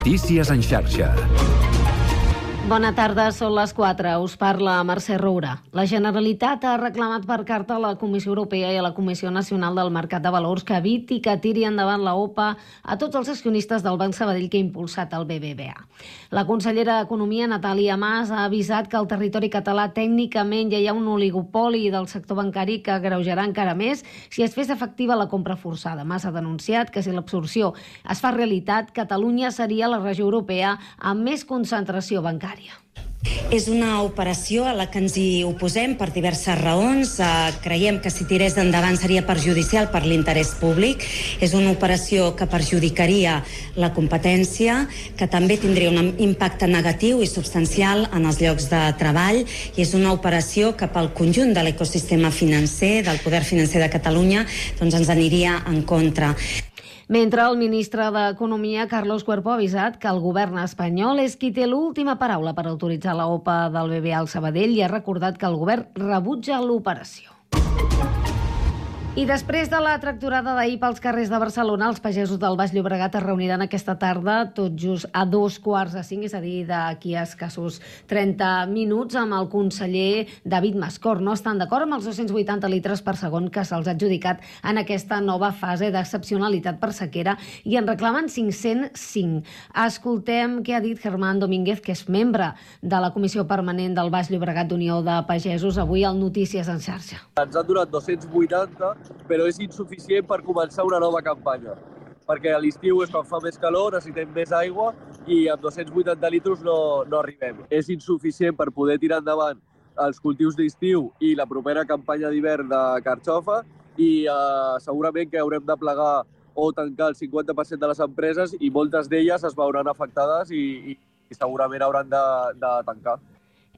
Notícies en xarxa. Bona tarda, són les 4. Us parla Mercè Roura. La Generalitat ha reclamat per carta a la Comissió Europea i a la Comissió Nacional del Mercat de Valors que eviti que tiri endavant la OPA a tots els accionistes del Banc Sabadell que ha impulsat el BBVA. La consellera d'Economia, Natàlia Mas, ha avisat que al territori català tècnicament ja hi ha un oligopoli del sector bancari que agreujarà encara més si es fes efectiva la compra forçada. Mas ha denunciat que si l'absorció es fa realitat, Catalunya seria la regió europea amb més concentració bancària. És una operació a la que ens hi oposem per diverses raons. Creiem que si tirés endavant seria perjudicial per l'interès públic. És una operació que perjudicaria la competència, que també tindria un impacte negatiu i substancial en els llocs de treball, i és una operació que pel conjunt de l'ecosistema financer, del poder financer de Catalunya, doncs ens aniria en contra. Mentre el ministre d'Economia, Carlos Cuerpo, ha avisat que el govern espanyol és qui té l'última paraula per autoritzar la OPA del BBVA al Sabadell i ha recordat que el govern rebutja l'operació. I després de la tractorada d'ahir pels carrers de Barcelona, els pagesos del Baix Llobregat es reuniran aquesta tarda, tot just a 4:45, és a dir, d'aquí a escassos 30 minuts, amb el conseller David Mascort. No estan d'acord amb els 280 litres per segon que se'ls ha adjudicat en aquesta nova fase d'excepcionalitat per sequera i en reclamen 505. Escoltem què ha dit Germán Domínguez, que és membre de la Comissió Permanent del Baix Llobregat d'Unió de Pagesos, avui al Notícies en xarxa. Ens han donat 280, però és insuficient per començar una nova campanya, perquè a l'estiu és quan fa més calor, necessitem més aigua i amb 280 litres no arribem. És insuficient per poder tirar endavant els cultius d'estiu i la propera campanya d'hivern de carxofa i segurament que haurem de plegar o tancar el 50% de les empreses i moltes d'elles es veuran afectades i segurament hauran de tancar.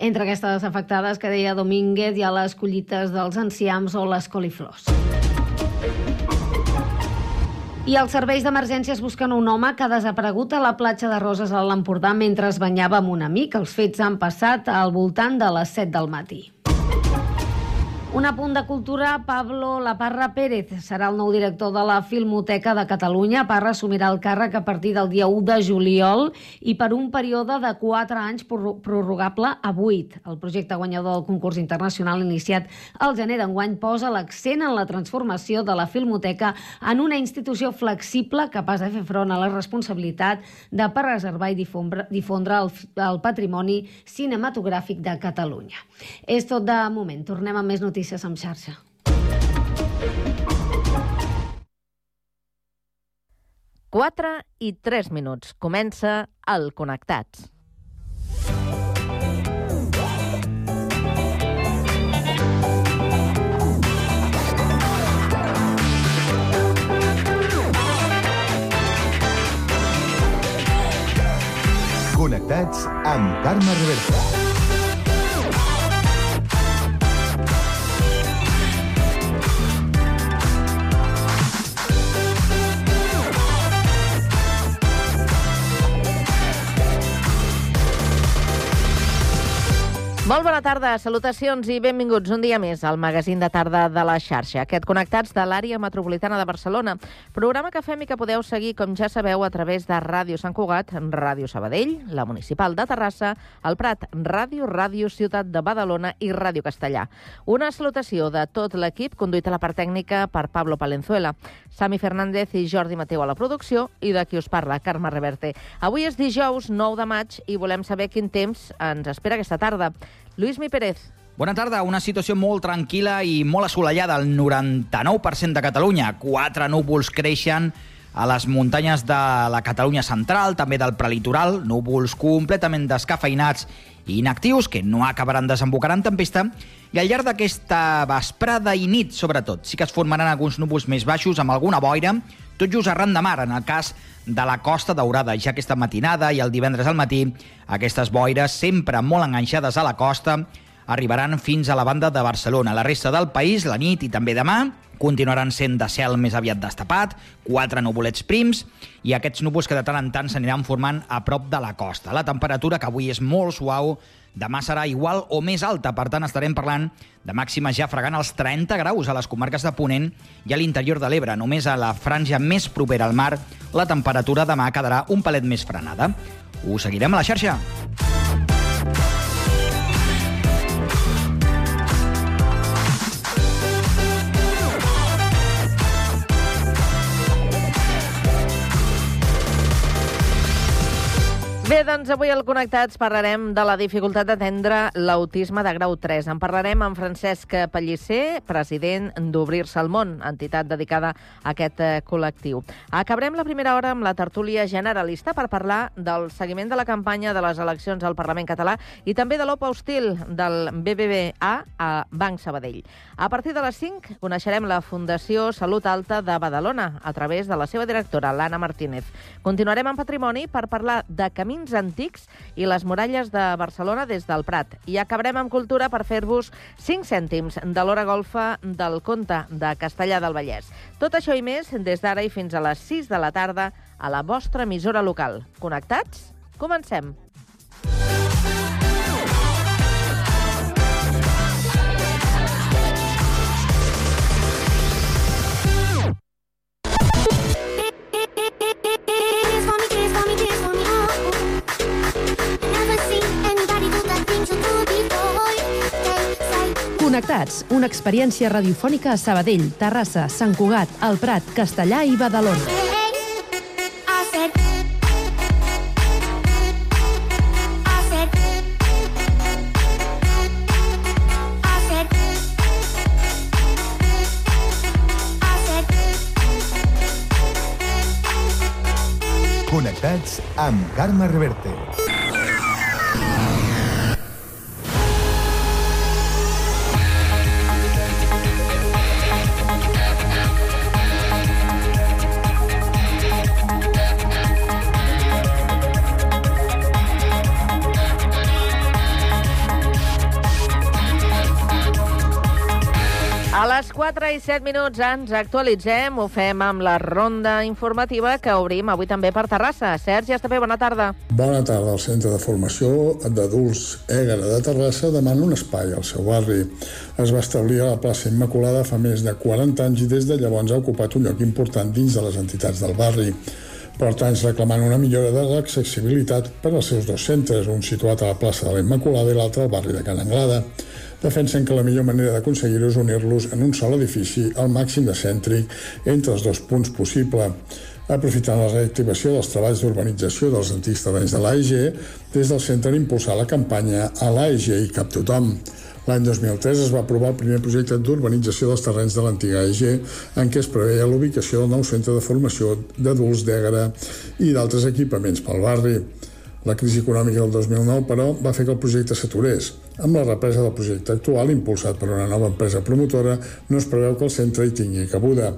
Entre aquestes afectades, que deia Domínguez, hi ha les collites dels enciams o les coliflors. I els serveis d'emergències busquen un home que ha desaparegut a la platja de Roses a l'Empordà mentre es banyava amb un amic. Els fets han passat al voltant de les 7 del matí. Un apunt de cultura, Pablo Laparra Pérez serà el nou director de la Filmoteca de Catalunya. Parra assumirà el càrrec a partir del dia 1 de juliol i per un període de 4 anys prorrogable a 8. El projecte guanyador del concurs internacional iniciat al gener d'enguany posa l'accent en la transformació de la Filmoteca en una institució flexible capaç de fer front a la responsabilitat de preservar i difondre el patrimoni cinematogràfic de Catalunya. És tot de moment. Tornem amb més notícies en xarxa. Quatre i 3 minuts. Comença el Connectats. Connectats amb Carme Reversa. Molt bona tarda, salutacions i benvinguts un dia més al magazín de tarda de la xarxa. Aquest Connectats de l'àrea metropolitana de Barcelona. Programa que fem i que podeu seguir, com ja sabeu, a través de Ràdio Sant Cugat, Ràdio Sabadell, la Municipal de Terrassa, el Prat Ràdio, Ràdio Ciutat de Badalona i Ràdio Castellà. Una salutació de tot l'equip, conduït a la part tècnica per Pablo Palenzuela, Sami Fernández i Jordi Mateu a la producció i de qui us parla, Carme Reverte. Avui és dijous 9 de maig i volem saber quin temps ens espera aquesta tarda. Luismi Pérez. Bona tarda. Una situació molt tranquil·la i molt assolellada al 99% de Catalunya. 4 núvols creixen a les muntanyes de la Catalunya central, també del prelitoral, núvols completament descafeinats i inactius que no acabaran desembocant en tempesta, i al llarg d'aquesta vesprada i nit, sobretot, sí que es formaran alguns núvols més baixos amb alguna boira, tot just arran de mar, en el cas de la Costa Daurada. Ja aquesta matinada i el divendres al matí, aquestes boires, sempre molt enganxades a la costa, arribaran fins a la banda de Barcelona. La resta del país, la nit i també demà, continuaran sent de cel més aviat destapat, 4 nuvolets prims, i aquests núvols que de tant en tant s'aniran formant a prop de la costa. La temperatura, que avui és molt suau, demà serà igual o més alta, per tant estarem parlant de màximes ja fregant els 30 graus a les comarques de Ponent i a l'interior de l'Ebre. Només a la franja més propera al mar la temperatura demà quedarà un palet més frenada. Ho seguirem a la xarxa. Bé, doncs avui al Connectats parlarem de la dificultat d'atendre l'autisme de grau 3. En parlarem amb Francesc Pellicer, president d'Obrir-se al Món, entitat dedicada a aquest col·lectiu. Acabarem la primera hora amb la tertúlia generalista per parlar del seguiment de la campanya de les eleccions al Parlament català i també de l'OPA hostil del BBVA a Banc Sabadell. A partir de les 5 coneixerem la Fundació Salut Alta de Badalona a través de la seva directora, l'Anna Martínez. Continuarem amb patrimoni per parlar de camins antics i les muralles de Barcelona des del Prat. I acabarem amb cultura per fer-vos 5 cèntims de l'hora golfa del conte de Castellar del Vallès. Tot això i més des d'ara i fins a les 6 de la tarda a la vostra emissora local. Connectats? Comencem! Connectats, una experiència radiofònica a Sabadell, Terrassa, Sant Cugat, el Prat, Castellar i Badalona. Connectats amb Carme Reverte. A les 4 i 7 minuts ens actualitzem, ho fem amb la ronda informativa que obrim avui també per Terrassa. Sergi Estapé, bona tarda. Bona tarda. El Centre de Formació d'Adults Ègara de Terrassa demana un espai al seu barri. Es va establir a la plaça Immaculada fa més de 40 anys i des de llavors ha ocupat un lloc important dins de les entitats del barri. Porta anys reclamant una millora de l'accessibilitat per als seus dos centres, un situat a la plaça de la Immaculada i l'altre al barri de Can Anglada. Defensen que la millor manera d'aconseguir-ho és unir-los en un sol edifici al màxim de cèntric entre els dos punts possible. Aprofitant la reactivació dels treballs d'urbanització dels antics terrenys de l'AEG, des del centre han impulsat la campanya A l'AEG i cap tothom. L'any 2003 es va aprovar el primer projecte d'urbanització dels terrenys de l'antiga AEG, en què es preveia l'ubicació del nou centre de formació d'adults d'Ègara i d'altres equipaments pel barri. La crisi econòmica del 2009, però, va fer que el projecte s'aturés. Amb la represa del projecte actual, impulsat per una nova empresa promotora, no es preveu que el centre hi tingui cabuda.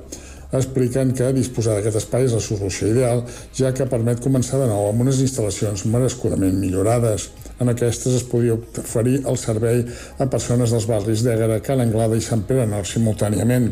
Expliquen que disposar d'aquest espai és la solució ideal, ja que permet començar de nou amb unes instal·lacions merescudament millorades. En aquestes es podia oferir el servei a persones dels barris d'Ègara, Can Anglada i Sant Pere Nord simultàniament.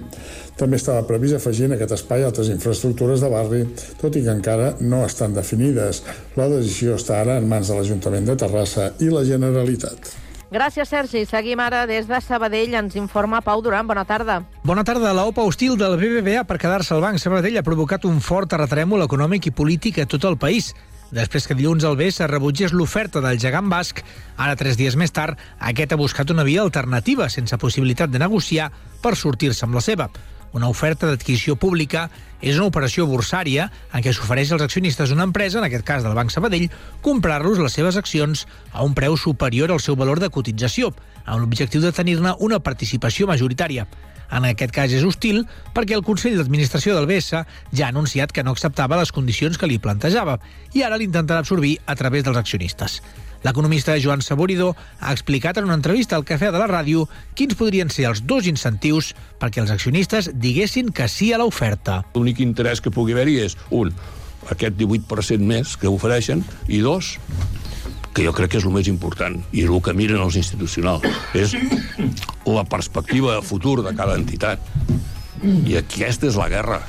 També estava previst afegir en aquest espai altres infraestructures de barri, tot i que encara no estan definides. La decisió està ara en mans de l'Ajuntament de Terrassa i la Generalitat. Gràcies, Sergi. Seguim ara des de Sabadell. Ens informa Pau Duran. Bona tarda. Bona tarda. La OPA hostil del BBVA per quedar-se al Banc Sabadell ha provocat un fort terratrèmol econòmic i polític a tot el país. Després que dilluns al BCE rebutgés l'oferta del gegant basc, ara 3 dies més tard, aquest ha buscat una via alternativa sense possibilitat de negociar per sortir-se amb la seva. Una oferta d'adquisició pública és una operació borsària en què s'ofereix als accionistes d'una empresa, en aquest cas del Banc Sabadell, comprar-los les seves accions a un preu superior al seu valor de cotització, amb l'objectiu de tenir-ne una participació majoritària. En aquest cas és hostil perquè el Consell d'Administració del BCE ja ha anunciat que no acceptava les condicions que li plantejava i ara l'intentarà absorbir a través dels accionistes. L'economista Joan Saboridó ha explicat en una entrevista al Cafè de la Ràdio quins podrien ser els dos incentius perquè els accionistes diguessin que sí a l'oferta. L'únic interès que pugui haver-hi és, un, aquest 18% més que ofereixen, i dos, que jo crec que és el més important, i és el que miren els institucionals, és la perspectiva de futur de cada entitat. I aquesta és la guerra.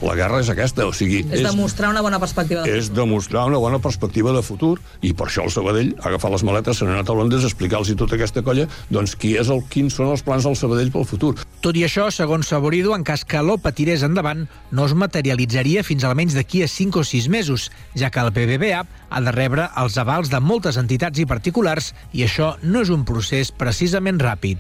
La guerra és aquesta, o sigui... És demostrar una bona perspectiva de futur. És demostrar una bona perspectiva de futur, i per això el Sabadell ha agafat les maletes, se n'ha anat a Londres a explicar-los tota aquesta colla doncs quins són els plans del Sabadell pel futur. Tot i això, segons Saborido, en cas que l'OPA tirés endavant, no es materialitzaria fins almenys d'aquí a 5 o 6 mesos, ja que el BBVA ha de rebre els avals de moltes entitats i particulars, i això no és un procés precisament ràpid.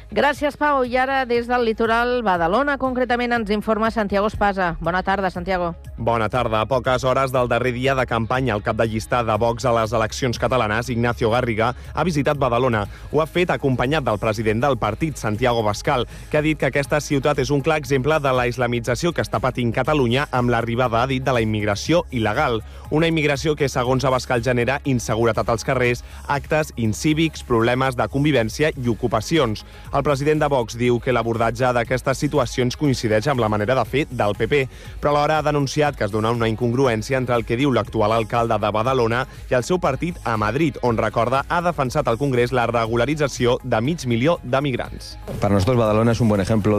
Gràcies, Pau. I ara, des del litoral Badalona, concretament ens informa Santiago Espasa. Bona tarda, Santiago. Bona tarda. A poques hores del darrer dia de campanya, el cap de llista de Vox a les eleccions catalanes, Ignacio Garriga, ha visitat Badalona. Ho ha fet acompanyat del president del partit, Santiago Bascal, que ha dit que aquesta ciutat és un clar exemple de la islamització que està patint Catalunya amb l'arribada, ha dit, de la immigració il·legal. Una immigració que, segons Abascal, genera inseguretat als carrers, actes incívics, problemes de convivència i ocupacions. El president de Vox diu que l'abordatge d'aquestes situacions coincideix amb la manera de fer del PP, però alhora ha denunciat que es dona una incongruència entre el que diu l'actual alcalde de Badalona i el seu partit a Madrid, on, recorda, ha defensat al Congrés la regularització de 500.000 de migrants. Para nosotros Badalona es un buen ejemplo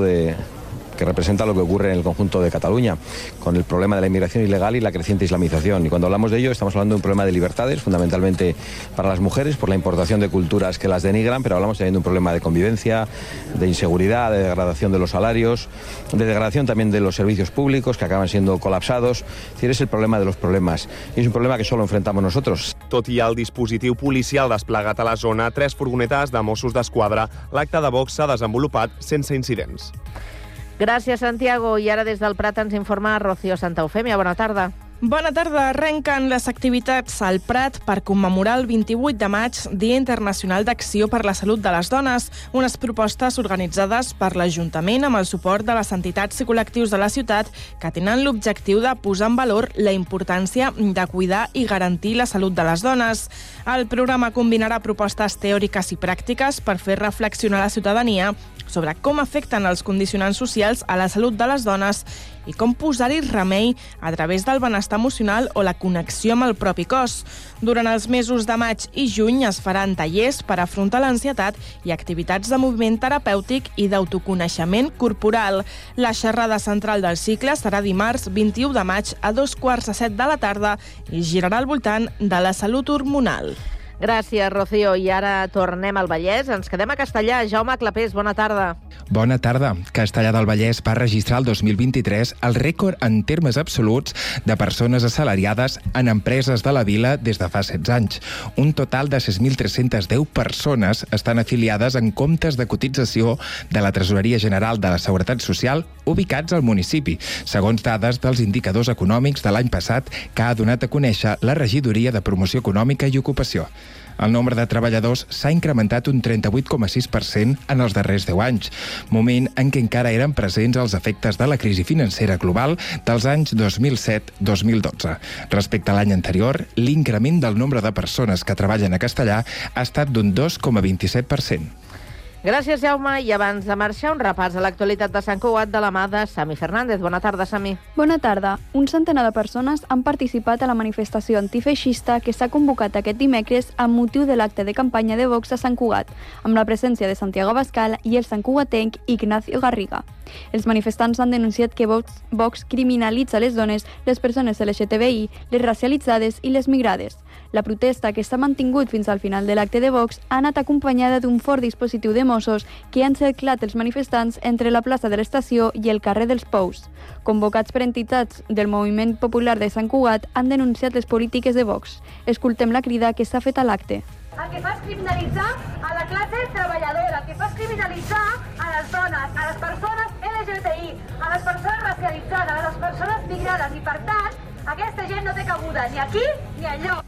que representa lo que ocurre en el conjunto de Cataluña, con el problema de la inmigración ilegal y la creciente islamización. Y cuando hablamos de ello, estamos hablando de un problema de libertades, fundamentalmente para las mujeres, por la importación de culturas que las denigran, pero hablamos también de un problema de convivencia, de inseguridad, de degradación de los salarios, de degradación también de los servicios públicos, que acaban siendo colapsados. Es decir, es el problema de los problemas. Y es un problema que solo enfrentamos nosotros. Tot i el dispositiu policial desplegat a la zona, 3 furgonetes de Mossos d'Esquadra, l'acte de Vox s'ha desenvolupat sense incidents. Gràcies, Santiago. I ara des del Prat ens informa Rocío Santa Eufèmia. Bona tarda. Bona tarda. Arrenquen les activitats al Prat per commemorar el 28 de maig, Dia Internacional d'Acció per la Salut de les Dones, unes propostes organitzades per l'Ajuntament amb el suport de les entitats i col·lectius de la ciutat que tenen l'objectiu de posar en valor la importància de cuidar i garantir la salut de les dones. El programa combinarà propostes teòriques i pràctiques per fer reflexionar la ciutadania sobre com afecten els condicionants socials a la salut de les dones i com posar-hi remei a través del benestar emocional o la connexió amb el propi cos. Durant els mesos de maig i juny es faran tallers per afrontar l'ansietat i activitats de moviment terapèutic i d'autoconeixement corporal. La xerrada central del cicle serà dimarts 21 de maig a 2:45 de la tarda i girarà al voltant de la salut hormonal. Gràcies, Rocío. I ara tornem al Vallès. Ens quedem a Castellà. Jaume Clapés, bona tarda. Bona tarda. Castellà del Vallès va registrar el 2023 el rècord en termes absoluts de persones assalariades en empreses de la vila des de fa 16 anys. Un total de 6.310 persones estan afiliades en comptes de cotització de la Tresoreria General de la Seguretat Social ubicats al municipi, segons dades dels indicadors econòmics de l'any passat que ha donat a conèixer la Regidoria de Promoció Econòmica i Ocupació. El nombre de treballadors s'ha incrementat un 38,6% en els darrers 10 anys, moment en què encara eren presents els efectes de la crisi financera global dels anys 2007-2012. Respecte a l'any anterior, l'increment del nombre de persones que treballen a Castellà ha estat d'un 2,27%. Gràcies, Jaume. I abans de marxar, un repàs a l'actualitat de Sant Cugat de la mà de Sami Fernández. Bona tarda, Sami. Bona tarda. Un centenar de persones han participat a la manifestació antifeixista que s'ha convocat aquest dimecres amb motiu de l'acte de campanya de Vox a Sant Cugat, amb la presència de Santiago Abascal i el santcugatenc Ignacio Garriga. Els manifestants han denunciat que Vox criminalitza les dones, les persones LGTBI, les racialitzades i les migrades. La protesta, que s'ha mantingut fins al final de l'acte de Vox, ha anat acompanyada d'un fort dispositiu de Mossos que han cerclat els manifestants entre la plaça de l'Estació i el carrer dels Pous. Convocats per entitats del Moviment Popular de Sant Cugat, han denunciat les polítiques de Vox. Escoltem la crida que s'ha fet a l'acte. El que fa és criminalitzar a la classe treballadora, el que fa és criminalitzar a les dones, a les persones LGTBI, a les persones racialitzades, a les persones migrades, i per tant, aquesta gent no té cabuda ni aquí ni enlloc.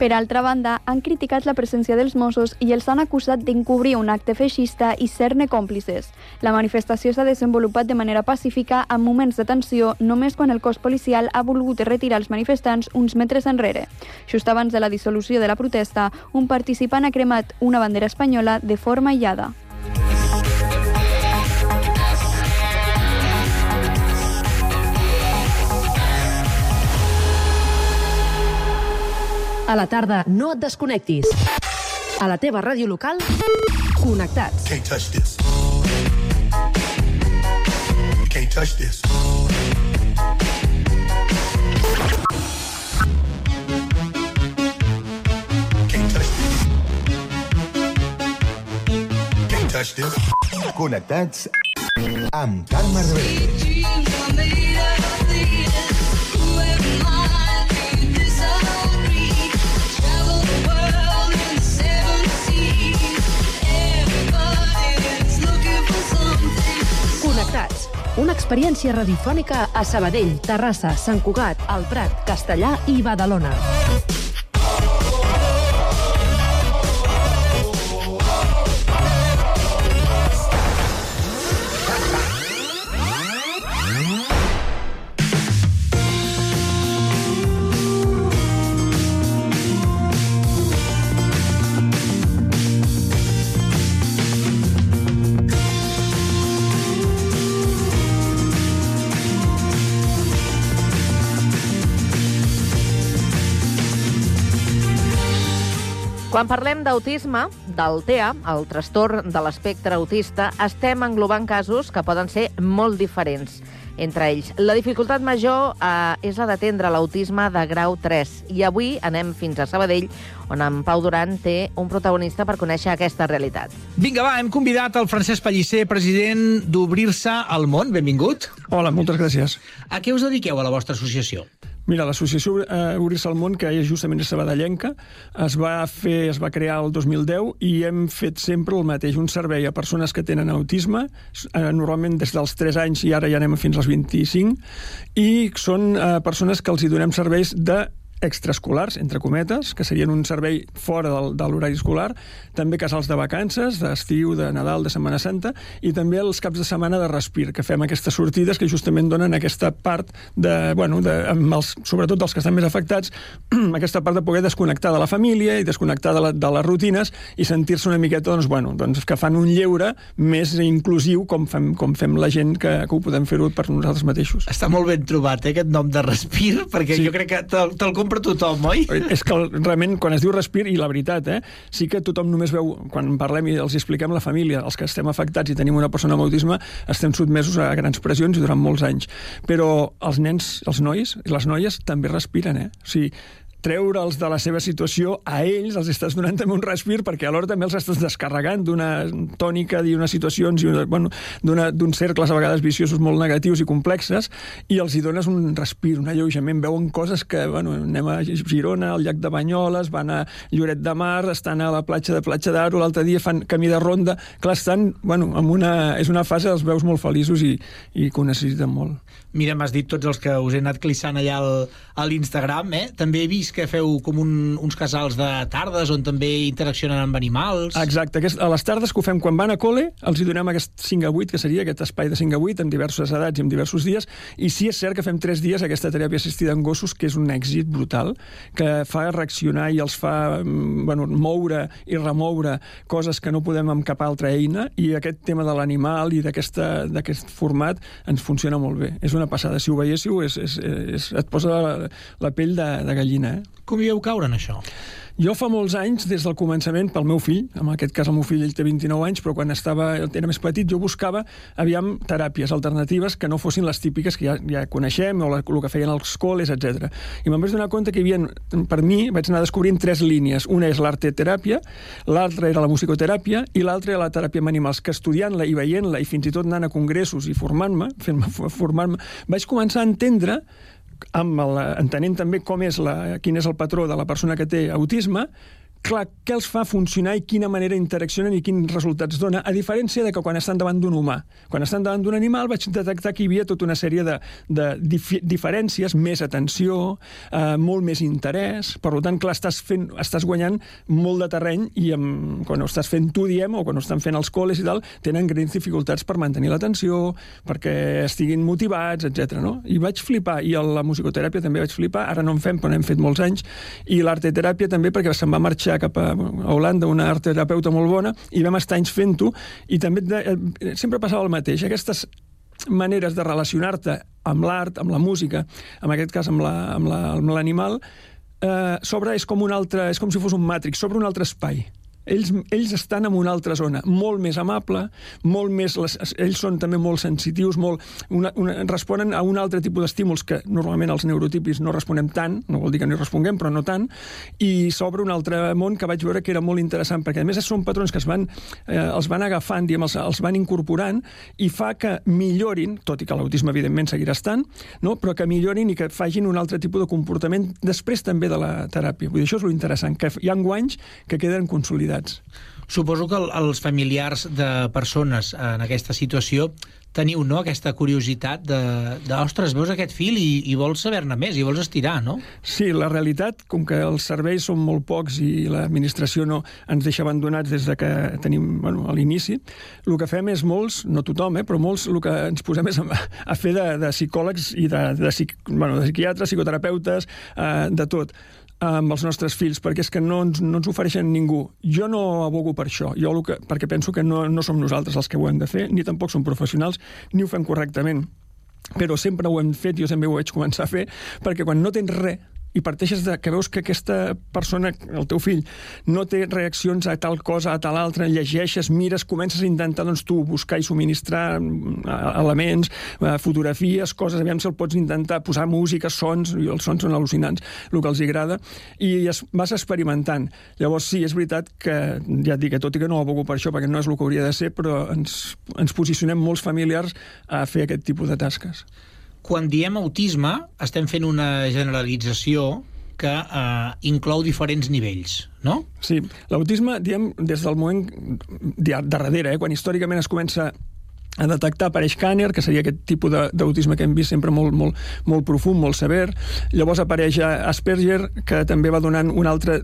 Per altra banda, han criticat la presència dels Mossos i els han acusat d'encobrir un acte feixista i ser-ne còmplices. La manifestació s'ha desenvolupat de manera pacífica amb moments de tensió només quan el cos policial ha volgut retirar els manifestants uns metres enrere. Just abans de la dissolució de la protesta, un participant ha cremat una bandera espanyola de forma aïllada. A la tarda, no et desconnectis. A la teva ràdio local, connectats. can't touch this. Connectats amb Carme Reverte. Connectats. Una experiència radiofònica a Sabadell, Terrassa, Sant Cugat, El Prat, Castellar i Badalona. Quan parlem d'autisme, del TEA, el trastorn de l'espectre autista, estem englobant casos que poden ser molt diferents entre ells. La dificultat major és la d'atendre l'autisme de grau 3. I avui anem fins a Sabadell, on en Pau Duran té un protagonista per conèixer aquesta realitat. Vinga, va, hem convidat el Francesc Pellicer, president d'Obrir-se al Món. Benvingut. Hola, moltes gràcies. A què us dediqueu a la vostra associació? Mira, l'associació Obrir-se al Món, que és justament sabadellenca, es va crear el 2010 i hem fet sempre el mateix, un servei a persones que tenen autisme, normalment des dels 3 anys i ara ja anem fins als 25, i són persones que els hi donem serveis de extraescolars, entre cometes, que serien un servei fora de l'horari escolar, també casals de vacances, d'estiu, de Nadal, de Setmana Santa, i també els caps de setmana de respir, que fem aquestes sortides que justament donen aquesta part sobretot dels que estan més afectats, aquesta part de poder desconnectar de la família i desconnectar de les rutines i sentir-se una miqueta, que fan un lleure més inclusiu com fem la gent que ho podem fer-ho per nosaltres mateixos. Està molt ben trobat, aquest nom de respir, perquè jo crec que te'l compra tothom, oi? És que realment, quan es diu respir, i la veritat, sí que tothom només veu, quan parlem i els expliquem la família, els que estem afectats i tenim una persona amb autisme, estem sotmesos a grans pressions i durant molts anys. Però els nens, els nois i les noies també respiren, O sigui, treure'ls de la seva situació, a ells els estàs donant també un respir, perquè alhora també els estàs descarregant d'una tònica, d'unes situacions, d'uns cercles a vegades viciosos molt negatius i complexes, i els hi dones un respir, un alleujament. Veuen coses que, anem a Girona, al llac de Banyoles, van a Lloret de Mar, estan a la platja de Platja d'Aro, l'altre dia fan camí de ronda. Clar, estan, és una fase, els veus molt feliços i que ho necessiten molt. Mira, m'has dit tots els que us he anat clissant allà a l'Instagram, També he vist que feu com uns casals de tardes on també interaccionen amb animals. Exacte, a les tardes que ho fem quan van a col·le, els hi donem aquest 5 a 8, que seria aquest espai de 5 a 8, amb diverses edats i amb diversos dies, i sí és cert que fem 3 dies aquesta teràpia assistida en gossos, que és un èxit brutal, que fa reaccionar i els fa moure i remoure coses que no podem amb cap altra eina, i aquest tema de l'animal i d'aquest format ens funciona molt bé. És una passada. Si ho veiéssiu, et posa la pell de gallina, Com hi vau caure en això? Jo fa molts anys, des del començament, pel meu fill, en aquest cas el meu fill ell té 29 anys, però quan era més petit jo buscava, teràpies alternatives que no fossin les típiques que ja coneixem, o el que feien els col·les, etc. I me'n vaig donar compte que hi havia, per mi, vaig anar descobrint 3 línies. Una és l'arteteràpia, l'altra era la musicoteràpia i l'altra era la teràpia amb animals, que estudiant-la i veient-la i fins i tot anant a congressos i formant-me, vaig començar a entendre, entenent també quin és el patró de la persona que té autisme, clar, què els fa funcionar i quina manera interaccionen i quins resultats dona, a diferència de que quan estan davant d'un humà. Quan estan davant d'un animal vaig detectar que hi havia tota una sèrie de diferències, més atenció, molt més interès, per tant, clar, estàs guanyant molt de terreny i quan ho estàs fent tu, o quan ho estan fent els col·les i tal, tenen grans dificultats per mantenir l'atenció, perquè estiguin motivats, etc. I vaig flipar, i la musicoteràpia també vaig flipar, ara no en fem, però n'hem fet molts anys, i l'arteteràpia també perquè se'n va marxar cap a Holanda, una artterapeuta molt bona, i vam estar anys fent-ho, i també sempre passava el mateix. Aquestes maneres de relacionar-te amb l'art, amb la música, en aquest cas amb l'animal, és com si fos un Matrix, s'obre un altre espai. Ells estan en una altra zona, molt més amable, molt més... Ells són també molt sensitius, responen a un altre tipus d'estímuls que normalment els neurotípics no responem tant, no vol dir que no hi responguem, però no tant, i s'obre un altre món que vaig veure que era molt interessant, perquè a més són patrons que els van agafant, els van incorporant, i fa que millorin, tot i que l'autisme evidentment seguirà estant, no? Però que millorin i que facin un altre tipus de comportament després també de la teràpia. Vull dir, això és lo interessant, que hi ha guanys que queden consolidats. Suposo que els familiars de persones en aquesta situació teniu, no?, aquesta curiositat ostres, veus aquest fil i vols saber-ne més, i vols estirar, no? Sí, la realitat, com que els serveis són molt pocs i l'administració no ens deixa abandonats des de que tenim, a l'inici, el que fem és molts, no tothom, però molts, el que ens posem és a fer de psicòlegs i de psiquiatres, psicoterapeutes, de tot, amb els nostres fills, perquè és que no ens ofereixen ningú. Jo no abogo per això, perquè penso que no som nosaltres els que ho hem de fer, ni tampoc som professionals, ni ho fem correctament. Però sempre ho hem fet, jo sempre ho vaig començar a fer, perquè quan no tens res, i parteixes que veus que aquesta persona, el teu fill, no té reaccions a tal cosa, a tal altra, llegeixes, mires, comences a intentar tu buscar i subministrar elements, fotografies, coses, aviam si el pots intentar posar música, sons, i els sons són al·lucinants, el que els agrada, i vas experimentant. Llavors sí, és veritat que, ja et dic, tot i que no ho abogo per això, perquè no és el que hauria de ser, però ens posicionem molts familiars a fer aquest tipus de tasques. Quan diem autisme, estem fent una generalització que inclou diferents nivells, no? Sí, l'autisme, diem, des del moment de darrere, quan històricament es comença a detectar, apareix Kanner, que seria aquest tipus d'autisme que hem vist sempre molt profund, molt sever. Llavors apareix Asperger, que també va donant un altre...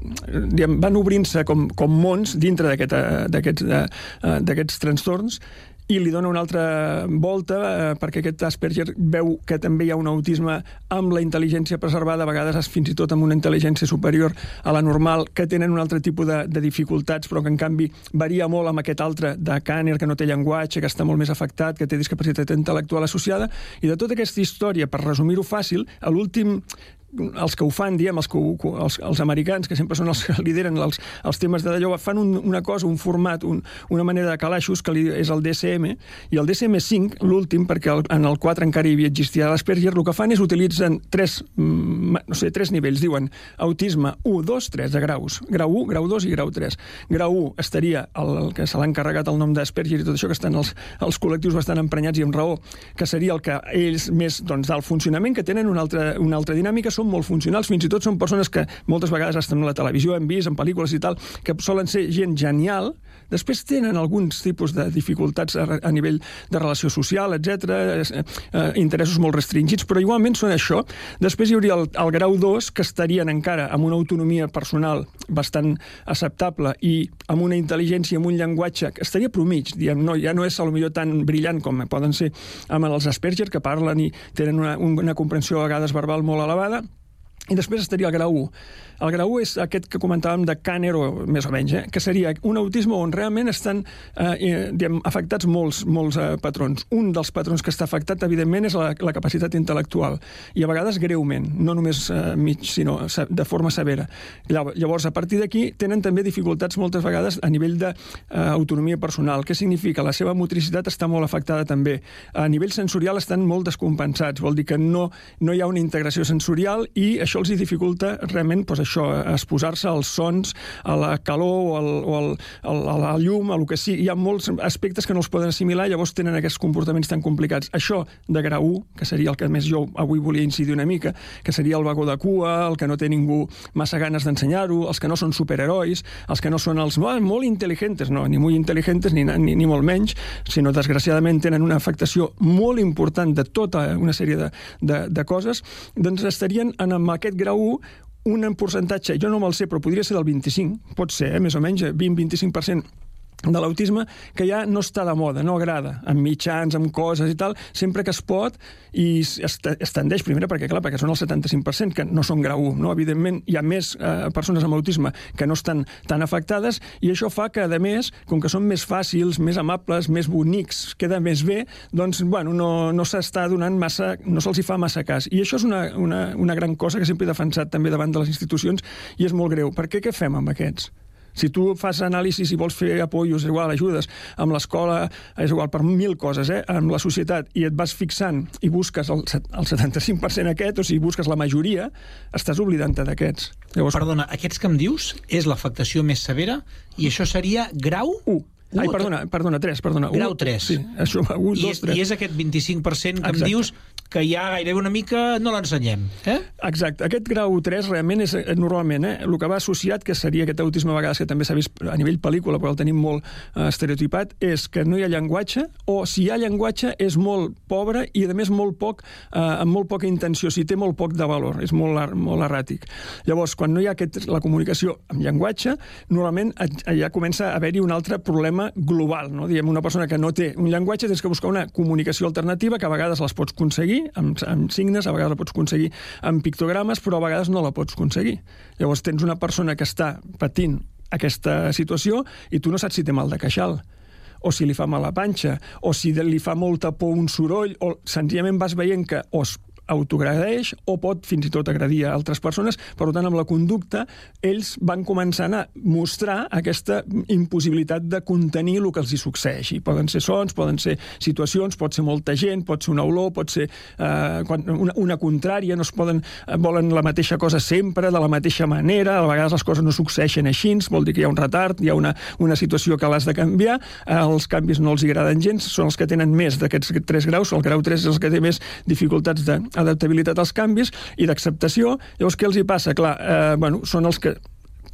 van obrint-se com mons dintre d'aquests trastorns, i li dona una altra volta perquè aquest Asperger veu que també hi ha un autisme amb la intel·ligència preservada, a vegades fins i tot amb una intel·ligència superior a la normal, que tenen un altre tipus de dificultats, però que en canvi varia molt amb aquest altre de Kanner, que no té llenguatge, que està molt més afectat, que té discapacitat intel·lectual associada, i de tota aquesta història, per resumir-ho fàcil, a l'últim els que ho fan, diem, els americans, que sempre són els que lideren els temes de d'allò, fan una cosa, un format, una manera de calaixos, que és el DSM, i el DSM-5, l'últim, perquè en el 4 encara hi existia l'Asperger, el que fan és utilitzen tres nivells, diuen autisme 1, 2, 3 de graus, grau 1, grau 2 i grau 3. Grau 1 estaria el que se l'ha encarregat el nom d'Asperger i tot això, que estan els col·lectius bastant emprenyats i amb raó, que seria el que ells més del funcionament, que tenen una altra dinàmica, són molt funcionals, fins i tot són persones que moltes vegades estan a la televisió, hem vist, en pel·lícules i tal, que solen ser gent genial, després tenen alguns tipus de dificultats a nivell de relació social, etc., interessos molt restringits, però igualment són això. Després hi hauria el grau 2, que estarien encara amb una autonomia personal bastant acceptable i amb una intel·ligència, amb un llenguatge que estaria promig, diem, ja no és potser tan brillant com poden ser amb els Asperger, que parlen i tenen una comprensió a vegades verbal molt elevada. I després estaria el grau 1. El grau 1 és aquest que comentàvem de Kanner, o més o menys, que seria un autisme on realment estan afectats molts patrons. Un dels patrons que està afectat, evidentment, és la capacitat intel·lectual, i a vegades greument, no només mig, sinó de forma severa. Llavors, a partir d'aquí, tenen també dificultats moltes vegades a nivell d'autonomia personal. Què significa? La seva motricitat està molt afectada també. A nivell sensorial estan molt descompensats, vol dir que no hi ha una integració sensorial i això els dificulta realment exposar-se als sons, a la calor o a la llum, a lo que sigui. Hi ha molts aspectes que no els poden assimilar, llavors tenen aquests comportaments tan complicats. Això de grau 1, que seria el que més jo avui volia incidir una mica, que seria el vagó de cua, el que no té ningú massa ganes d'ensenyar-ho, els que no són superherois, els que no són els molt intel·ligents, no, ni molt intel·ligents ni molt menys, sinó desgraciadament tenen una afectació molt important de tota una sèrie de coses, doncs estarien en aquest grau 1 un percentatge, jo no me'l sé, però podria ser del 25, pot ser, més o menys, 20-25% de l'autisme, que ja no està de moda, no agrada, amb mitjans, amb coses i tal, sempre que es pot, i es tendeix, primera, perquè són el 75%, que no són grau 1, no? Evidentment, hi ha més persones amb autisme que no estan tan afectades, i això fa que, a més, com que són més fàcils, més amables, més bonics, queda més bé, doncs, no s'està donant massa, no se'ls hi fa massa cas. I això és una gran cosa que sempre he defensat també davant de les institucions, i és molt greu. Per què fem amb aquests? Si tu fas anàlisis i vols fer apoyos, és igual, ajudes, amb l'escola, és igual, per 1.000 coses, amb la societat, i et vas fixant i busques el 75% aquest, o sigui, busques la majoria, estàs oblidant-te d'aquests. Llavors... Perdona, aquests que em dius és l'afectació més severa i això seria grau 1. Ai, perdona, 3. Grau 3. Sí, això, 1, 2, 3. I és aquest 25% que em dius que ja gairebé una mica no l'ensenyem. Exacte. Aquest grau 3 realment és normalment el que va associat, que seria aquest autisme a vegades que també s'ha vist a nivell pel·lícula, però el tenim molt estereotipat, és que no hi ha llenguatge, o si hi ha llenguatge és molt pobre i a més amb molt poca intenció, si té molt poc de valor, és molt erràtic. Llavors, quan no hi ha la comunicació amb llenguatge, normalment ja comença a haver-hi un altre problema global, no? Diguem, una persona que no té un llenguatge, tens que buscar una comunicació alternativa que a vegades les pots aconseguir amb signes, a vegades la pots aconseguir amb pictogrames, però a vegades no la pots aconseguir. Llavors tens una persona que està patint aquesta situació i tu no saps si té mal de queixal, o si li fa mal la panxa, o si li fa molta por un soroll, o senzillament vas veient que o es autoagredeix o pot fins i tot agredir a altres persones. Per tant, amb la conducta, ells van començant a mostrar aquesta impossibilitat de contenir el que els hi succeeixi. Poden ser sons, poden ser situacions, pot ser molta gent, pot ser una olor, pot ser una contrària, no es volen la mateixa cosa sempre, de la mateixa manera, a vegades les coses no succeeixen així, vol dir que hi ha un retard, hi ha una situació que l'has de canviar, els canvis no els agraden gens, són els que tenen més d'aquests 3 graus, el grau 3 és el que té més dificultats d'adaptabilitat als canvis i d'acceptació. Llavors, què els hi passa? Clar, són els que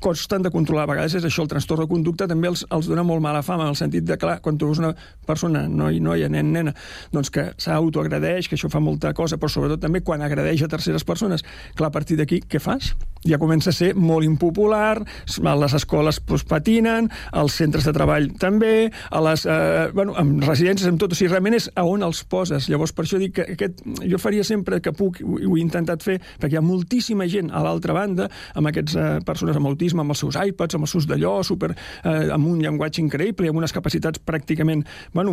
costen de controlar. A vegades és això, el trastorn de conducta també els dona molt mala fama, en el sentit de, clar, quan tu veus una persona, noia, nen, nena, doncs que s'autoagredeix, que això fa molta cosa, però sobretot també quan agredeix a terceres persones, clar, a partir d'aquí, què fas? Ja comença a ser molt impopular, les escoles patinen, els centres de treball també, amb residències, amb tot, o sigui, realment és a on els poses. Llavors, per això dic que jo faria sempre que puc, ho he intentat fer, perquè hi ha moltíssima gent a l'altra banda, amb aquestes persones amb autisme, amb els seus iPads, amb els seus d'allò, amb un llenguatge increïble i amb unes capacitats pràcticament molt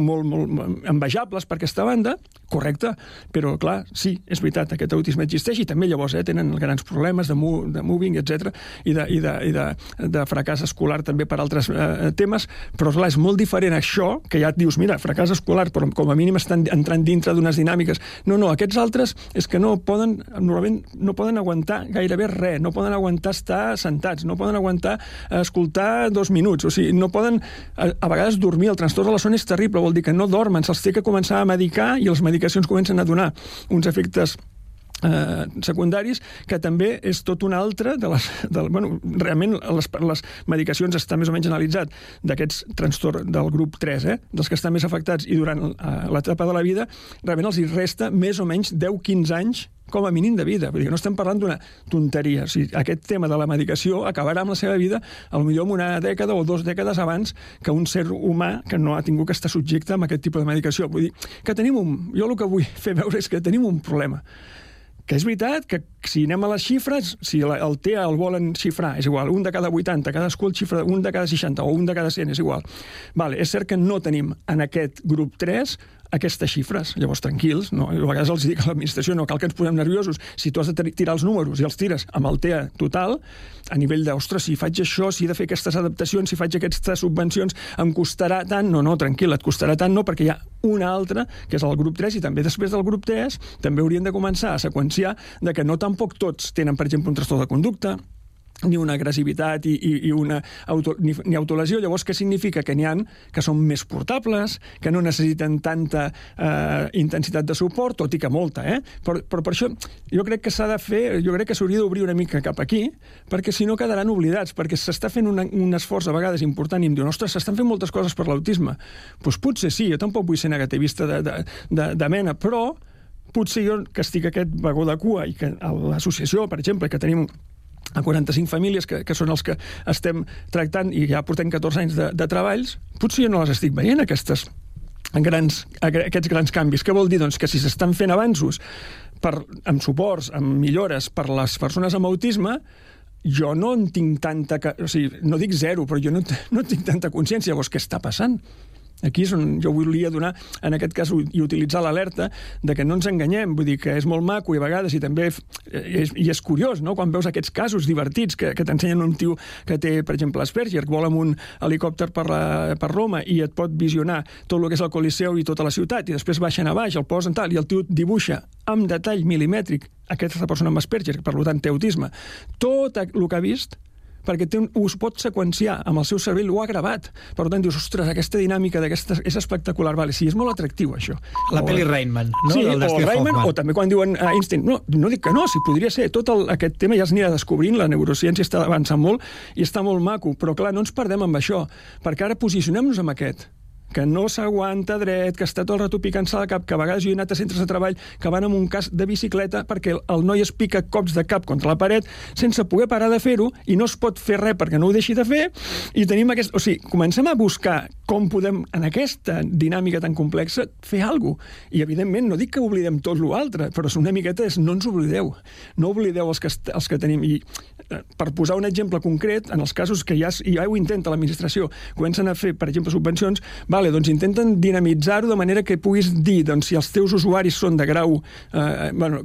envejables per aquesta banda, correcte, però clar, sí, és veritat, aquest autisme existeix i també llavors tenen grans problemes de moving, etc. i de fracàs escolar també per altres temes, però clar, és molt diferent això, que ja et dius, mira, fracàs escolar, però com a mínim estan entrant dintre d'unes dinàmiques. No, aquests altres és que normalment no poden aguantar gairebé res, no poden aguantar estar sentats, no poden aguantar escoltar 2 minuts, o sigui, no poden a vegades dormir, el trastorn de la son és terrible, vol dir que no dormen, se'ls té que començar a medicar i les medicacions comencen a donar uns efectes secundaris, que també és tot un altre realment les medicacions està més o menys analitzat d'aquests trastorns del grup 3, dels que estan més afectats i durant l'etapa de la vida, realment els hi resta més o menys 10-15 anys com a mínim de vida. Vull dir que no estem parlant d'una tonteria. O sigui, aquest tema de la medicació acabarà amb la seva vida potser en una dècada o 2 dècades abans que un ser humà que no ha tingut que estar subjecte a aquest tipus de medicació. Vull dir que jo el que vull fer veure és que tenim un problema. Que és veritat que si anem a les xifres, si el TEA el volen xifrar, és igual, 1 de cada 80, cadascú el xifra 1 de cada 60 o 1 de cada 100, és igual. És cert que no tenim en aquest grup 3 aquestes xifres. Llavors, tranquils, no? A vegades els dic a l'administració, no cal que ens posem nerviosos. Si tu has de tirar els números i els tires amb el TEA total, a nivell de, ostres, si faig això, si he de fer aquestes adaptacions, si faig aquestes subvencions, em costarà tant? No, tranquil, et costarà tant no, perquè hi ha una altra, que és el grup 3, i també després del grup 3 també haurien de començar a seqüenciar de que no tampoc tots tenen, per exemple, un trastorn de conducta, ni una agressivitat ni autolesió. Llavors, què significa? Que n'hi ha que són més portables, que no necessiten tanta intensitat de suport, tot i que molta, Però per això jo crec que s'ha de fer, jo crec que s'hauria d'obrir una mica cap aquí, perquè si no quedaran oblidats, perquè s'està fent un esforç a vegades important i em diuen, ostres, s'estan fent moltes coses per l'autisme. Doncs potser sí, jo tampoc vull ser negativista de mena, però potser jo, que estic aquest vagó de cua i que a l'associació, per exemple, que tenim a 45 famílies, que són els que estem tractant i ja portem 14 anys de treballs, potser jo no les estic veient, aquests grans canvis. Què vol dir? Doncs que si s'estan fent avanços amb suports, amb millores per les persones amb autisme, jo no en tinc tanta... O sigui, no dic zero, però jo no tinc tanta consciència. Llavors, què està passant? Aquí és on jo volia donar, en aquest cas, i utilitzar l'alerta de que no ens enganyem. Vull dir que és molt maco i a vegades, i també és curiós, no?, quan veus aquests casos divertits que t'ensenyen un tio que té, per exemple, Asperger, que vol amb un helicòpter per Roma i et pot visionar tot el que és el Coliseu i tota la ciutat, i després baixen a baix, el posen tal, i el tio dibuixa amb detall milimètric aquesta persona amb Asperger, que per tant té autisme, tot el que ha vist, perquè us pot seqüenciar amb el seu cervell, ho ha gravat. Per tant, dius, ostres, aquesta dinàmica és espectacular. Vale, sí, és molt atractiu, això. La pel·li Rainman, no? Sí, o Rainman, o també quan diuen Einstein. No dic que no, si podria ser. Tot aquest tema ja s'anirà descobrint, la neurociència està avançant molt i està molt maco, però clar, no ens perdem amb això, perquè ara posicionem-nos amb aquest, que no s'aguanta dret, que està tot el rato picant-se al cap, que a vegades jo he anat a centres de treball que van amb un casc de bicicleta perquè el noi es pica cops de cap contra la paret sense poder parar de fer-ho i no es pot fer res perquè no ho deixi de fer, i tenim aquest... O sigui, comencem a buscar com podem, en aquesta dinàmica tan complexa, fer alguna cosa. I, evidentment, no dic que oblidem tot l'altre, però una miqueta és no ens oblideu. No oblideu els que tenim. I per posar un exemple concret, en els casos que ja ho intenta l'administració, comencen a fer, per exemple, subvencions, vale, doncs intenten dinamitzar-ho de manera que puguis dir, doncs, si els teus usuaris són de grau...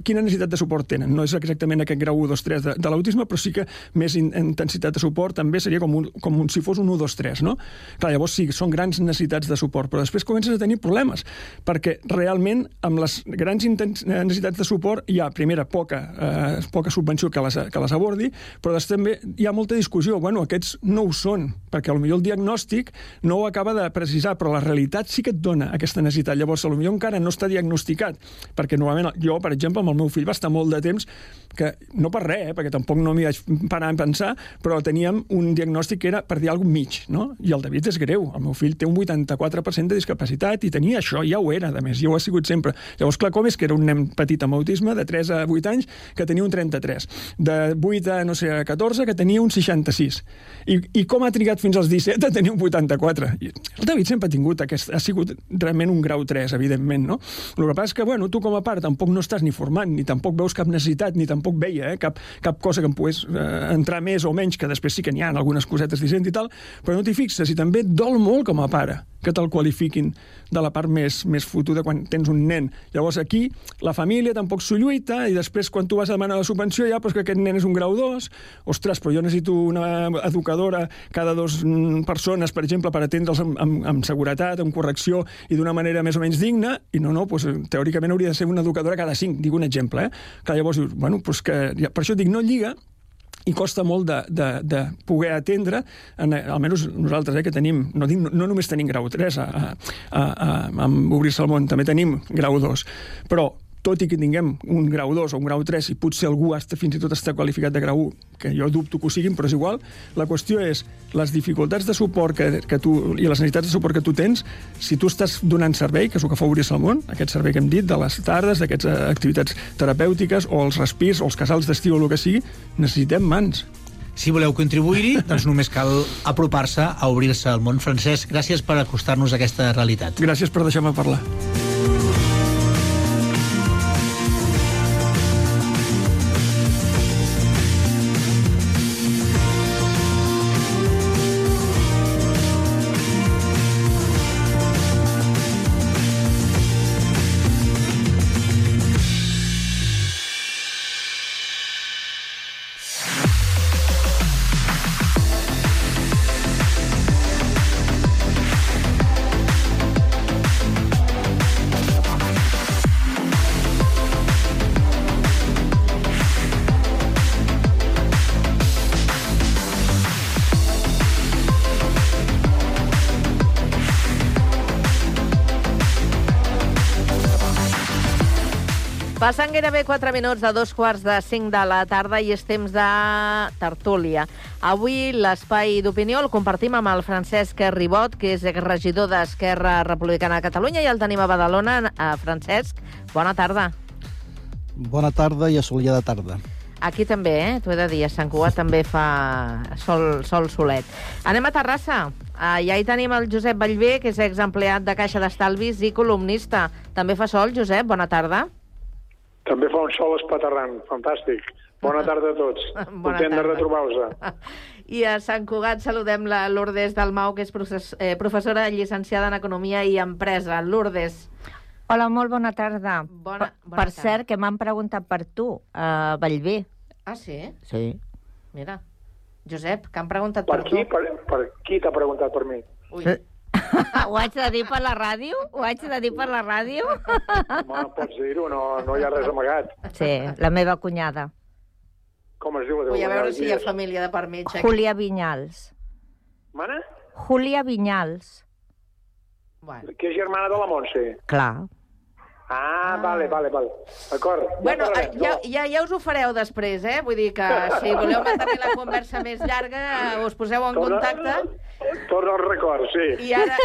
quina necessitat de suport tenen? No és exactament aquest grau 1, 2, 3 de l'autisme, però sí que més intensitat de suport també seria com si fos un 1, 2, 3, no? Clar, llavors sí, són grans necessitats de suport, però després comences a tenir problemes, perquè realment amb les grans necessitats de suport hi ha, primera, poca subvenció que les abordi, però després també hi ha molta discussió. Bueno, aquests no ho són, perquè potser el diagnòstic no ho acaba de precisar, però la realitat sí que et dona aquesta necessitat. Llavors, potser encara no està diagnosticat, perquè normalment jo, per exemple, amb el meu fill va estar molt de temps que, no per res, perquè tampoc no m'hi vaig parar a pensar, però teníem un diagnòstic que era, per dir alguna cosa, mig, no? I el David és greu. El meu fill té un 84% de discapacitat i tenia això, ja ho era, a més, ja ho ha sigut sempre. Llavors, clar, com és que era un nen petit amb autisme, de 3 a 8 anys, que tenia un 33, de 8 a, 14, que tenia un 66. I com ha trigat fins als 17 a tenir un 84? El David sempre ha sigut realment un grau 3, evidentment, no? El que passa és que, bueno, tu com a pare tampoc no estàs ni formant, ni tampoc veus cap necessitat, ni tampoc veia cap cosa que em pogués entrar més o menys, que després sí que n'hi ha algunes cosetes dissent i tal, però no t'hi fixes, i també et dol molt com a pare que te'l qualifiquin de la part més fotuda quan tens un nen. Llavors aquí la família tampoc s'ho lluita, i després quan tu vas a demanar la subvenció ja, doncs que aquest nen és un grau 2, ostres, però jo necessito una educadora cada 2 persones, per exemple, per atendre'ls amb seguretat, amb correcció i d'una manera més o menys digna, i no, doncs teòricament hauria de ser una educadora cada 5, dic un exemple, que llavors dius, bueno, doncs que per això dic, no lliga, i costa molt de poder atendre, almenys nosaltres, que tenim, no només tenim grau 3 amb Obrir-se al món, també tenim grau 2, però tot i que tinguem un grau 2 o un grau 3, i potser algú fins i tot està qualificat de grau 1, que jo dubto que ho siguin, però és igual, la qüestió és les dificultats de suport que tu, i les necessitats de suport que tu tens, si tu estàs donant servei, que és el que fa Obrir-se al món, aquest servei que hem dit, de les tardes, d'aquestes activitats terapèutiques, o els respirs, o els casals d'estiu, o el que sigui, necessitem mans. Si voleu contribuir-hi, doncs només cal apropar-se a Obrir-se al món. Francesc, gràcies per acostar-nos a aquesta realitat. Gràcies per deixar-me parlar. Passen gairebé 4 minuts de 2:45 de la tarda i és temps de tertúlia. Avui l'espai d'opinió el compartim amb el Francesc Ribot, que és regidor d'Esquerra Republicana de Catalunya, i el tenim a Badalona. Francesc, bona tarda. Bona tarda i assolellada tarda. Aquí també, t'ho he de dir, a Sant Cugat també fa sol solet. Anem a Terrassa. Ja hi tenim el Josep Ballbé, que és exempleat de Caixa d'Estalvis i columnista. També fa sol, Josep, bona tarda. També fa un sol espaterrant, fantàstic. Bona tarda a tots. Content de retrobar-vos. I a Sant Cugat saludem la Lourdes Dalmau, que és professora llicenciada en Economia i Empresa. Lourdes. Hola, molt bona tarda. Bona per cert, que m'han preguntat per tu, a Bellver. Ah, sí? Sí. Mira, Josep, que han preguntat per tu. Per qui t'ha preguntat per mi? Ui. Ho haig de dir per la ràdio? Home, pots dir-ho, no hi ha res amagat. Sí, la meva cunyada. Com es diu la teva Vull a veure cunyada? si hi ha família de part mig. Júlia Vinyals. Mana? Júlia Vinyals. Bueno. Que és germana de la Montse. Clar. Ah, vale. D'acord. Bueno, ja us ho fareu després, eh? Vull dir que si voleu mantenir la conversa més llarga, us poseu en contacte. Torna al record, sí. I ara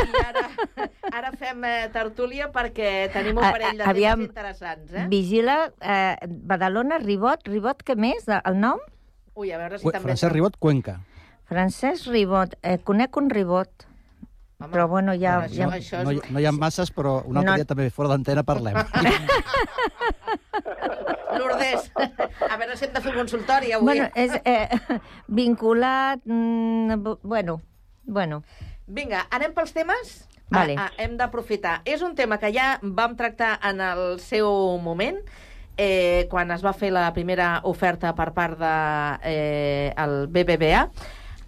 fem tertúlia perquè tenim un parell de temes interessants, eh? Vigila, Badalona, Ribot, què més, el nom? Ui, a veure si també... Francesc Ribot, Cuenca. Francesc Ribot, conec un Ribot. Home, però bueno, no hi ha masses, però un altre dia també fora d'antena parlem. Lourdes, a veure si hem de fer un consultori avui. Bueno, és vinculat... Bueno. Vinga, anem pels temes? Vale. Hem d'aprofitar. És un tema que ja vam tractar en el seu moment, quan es va fer la primera oferta per part del BBVA,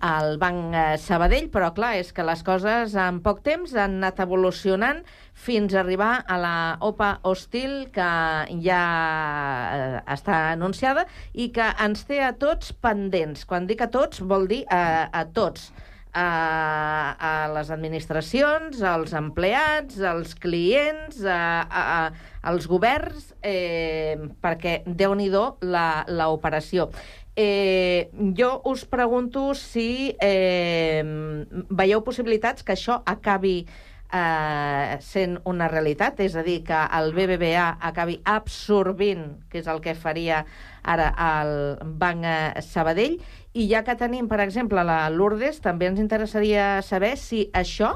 al Banc Sabadell, però clar, és que les coses en poc temps han anat evolucionant fins a arribar a la OPA hostil que ja està anunciada i que ens té a tots pendents. Quan dic a tots, vol dir a tots. A les administracions, als empleats, als clients, als governs, perquè Déu-n'hi-do l'operació. Jo us pregunto si veieu possibilitats que això acabi sent una realitat, és a dir, que el BBVA acabi absorbint, que és el que faria ara el Banc Sabadell, i ja que tenim, per exemple, la Lourdes, també ens interessaria saber si això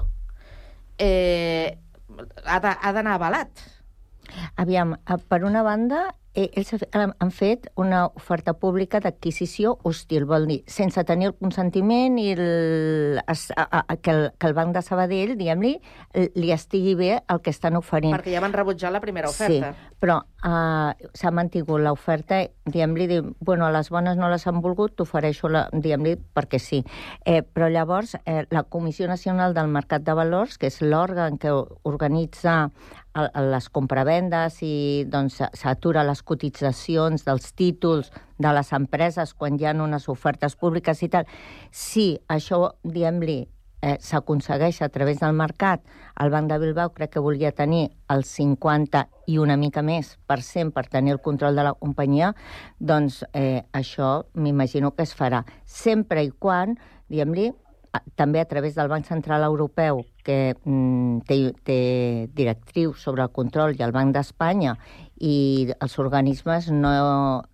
ha d'anar avalat. Aviam, per una banda, ells han fet una oferta pública d'adquisició hostil, vol dir, sense tenir el consentiment i que el Banc de Sabadell, diguem-li, li estigui bé el que estan oferint. Perquè ja van rebutjar la primera oferta. Sí, però s'ha mantingut l'oferta, diguem-li, bueno, a les bones no les han volgut, t'ofereixo, diguem-li, perquè sí. Però llavors, la Comissió Nacional del Mercat de Valors, que és l'òrgan que organitza les compravendes i doncs s'atura les cotitzacions dels títols de les empreses quan hi ha unes ofertes públiques i tal. Si això, diguem-li, s'aconsegueix a través del mercat, el Banc de Bilbao crec que volia tenir el 50 i una mica més % per tenir el control de la companyia, doncs això m'imagino que es farà. Sempre i quan, diguem-li, també a través del Banc Central Europeu, que té directrius sobre el control, i el Banc d'Espanya, i els organismes no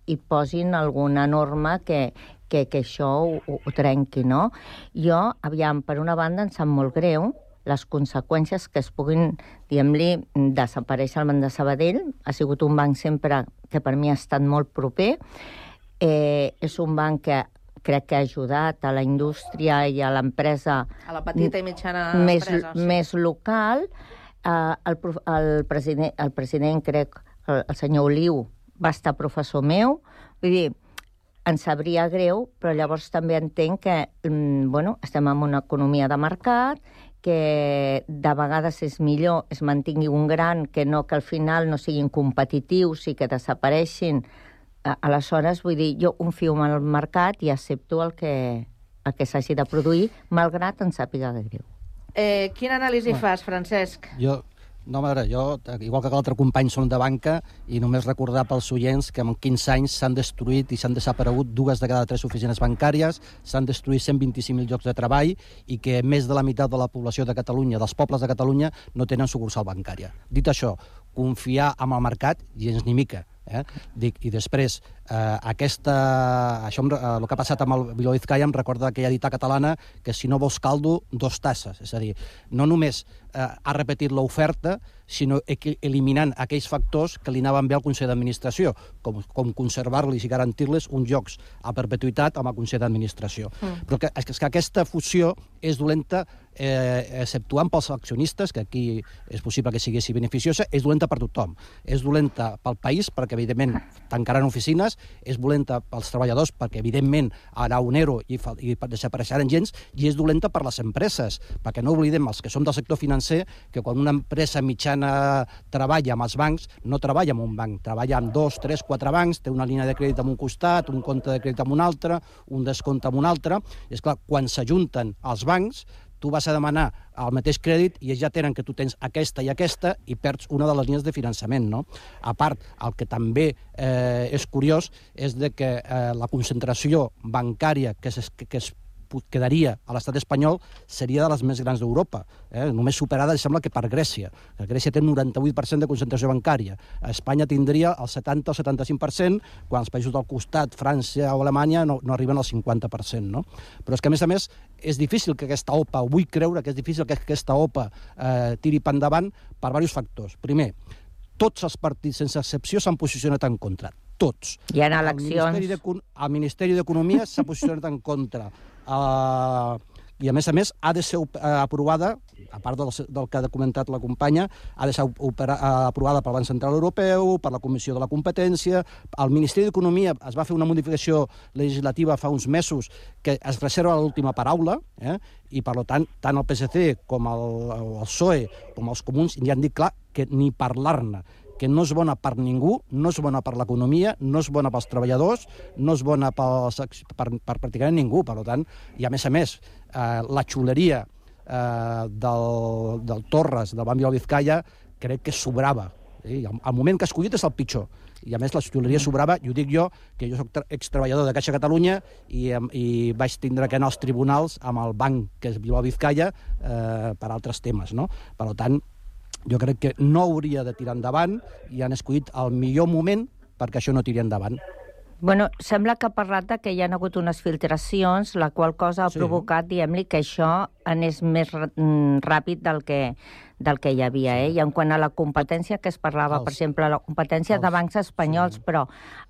hi posin alguna norma que això ho trenqui, no? Jo, aviam, per una banda, em sap molt greu les conseqüències que es puguin, diguem-li, desaparèixer el Banc de Sabadell. Ha sigut un banc sempre que per mi ha estat molt proper. És un banc que crec que ha ajudat a la indústria i a l'empresa... A la petita i mitjana empresa. Més local. El president, crec, el senyor Oliu, va estar professor meu. Vull dir, ens sabria greu, però llavors també entenc que estem en una economia de mercat, que de vegades és millor es mantingui un gran que no que al final no siguin competitius i que desapareixin. Aleshores, vull dir, jo confio en el mercat i accepto el que s'hagi de produir, malgrat em sàpiga de greu. Quina anàlisi fas, Francesc? Jo, igual que l'altre company, som de banca, i només recordar pels oients que en 15 anys s'han destruït i s'han desaparegut 2 de cada 3 oficines bancàries, s'han destruït 125.000 llocs de treball i que més de la meitat de la població de Catalunya, dels pobles de Catalunya, no tenen sucursal bancària. Dit això, confiar en el mercat, gens ni mica. I després, Això, el que ha passat amb el Bilbao Vizcaya em recorda aquella dita catalana que si no vols caldo, 2 tasses. És a dir, no només ha repetit l'oferta, sinó eliminant aquells factors que li anaven bé al Consell d'Administració, com conservar-los i garantir-los uns llocs a perpetuïtat amb el Consell d'Administració. Però és que aquesta fusió és dolenta, exceptuant pels accionistes, que aquí és possible que sigui beneficiosa, és dolenta per tothom. És dolenta pel país, perquè evidentment tancaran oficines, és dolenta pels treballadors, perquè evidentment harà un ERO i desapareixeran gens, i és dolenta per les empreses, perquè no oblidem, els que som del sector financer, que quan una empresa mitjana treballa amb els bancs, no treballa amb un banc, treballa amb 2, 3, 4 bancs, té una línia de crèdit en un costat, un compte de crèdit en un altre, un descompte en un altre, i és clar, quan s'ajunten els bancs, tu vas a demanar el mateix crèdit i ja tenen que tu tens aquesta i perds una de les línies de finançament, no? A part, el que també és curiós és que la concentració bancària que es quedaria a l'estat espanyol seria de les més grans d'Europa, només superada, sembla que per Grècia. Grècia té un 98% de concentració bancària. A Espanya tindria el 70 o 75%, quan els països del costat, França o Alemanya, no arriben al 50%. No? Però és que, a més, és difícil que aquesta OPA, vull creure que és difícil que aquesta OPA tiri per endavant per diversos factors. Primer, tots els partits, sense excepció, s'han posicionat en contra. Tots. Hi ha eleccions. El Ministeri d'Economia s'ha posicionat en contra. I a més ha de ser aprovada, a part del que ha comentat la companya, ha de ser aprovada pel Banc Central Europeu, per la Comissió de la Competència. Al Ministeri d'Economia es va fer una modificació legislativa fa uns mesos que es reserva l'última paraula, i per tant el PSC com el PSOE com els comuns ja han dit clar que ni parlar-ne, que no és bona per ningú, no és bona per l'economia, no és bona pels treballadors, no és bona per pràcticament ningú. Per tant, i a més, la xuleria del Torres, del Banc Bilbao Vizcaya, crec que sobrava. El moment que ha escollit és el pitjor. I a més, la xuleria sobrava, i ho dic jo, que jo soc extreballador de Caixa Catalunya i vaig tindre que anar als tribunals amb el banc, que és Bilbao Vizcaya, per altres temes. Per tant, jo crec que no hauria de tirar endavant i han escollit el millor moment perquè això no tiri endavant. Bueno, sembla que ha parlat que hi ha hagut unes filtracions, la qual cosa ha provocat, diguem-li, que això anés més ràpid del que hi havia. I en quant a la competència que es parlava, per exemple, la competència de bancs espanyols, però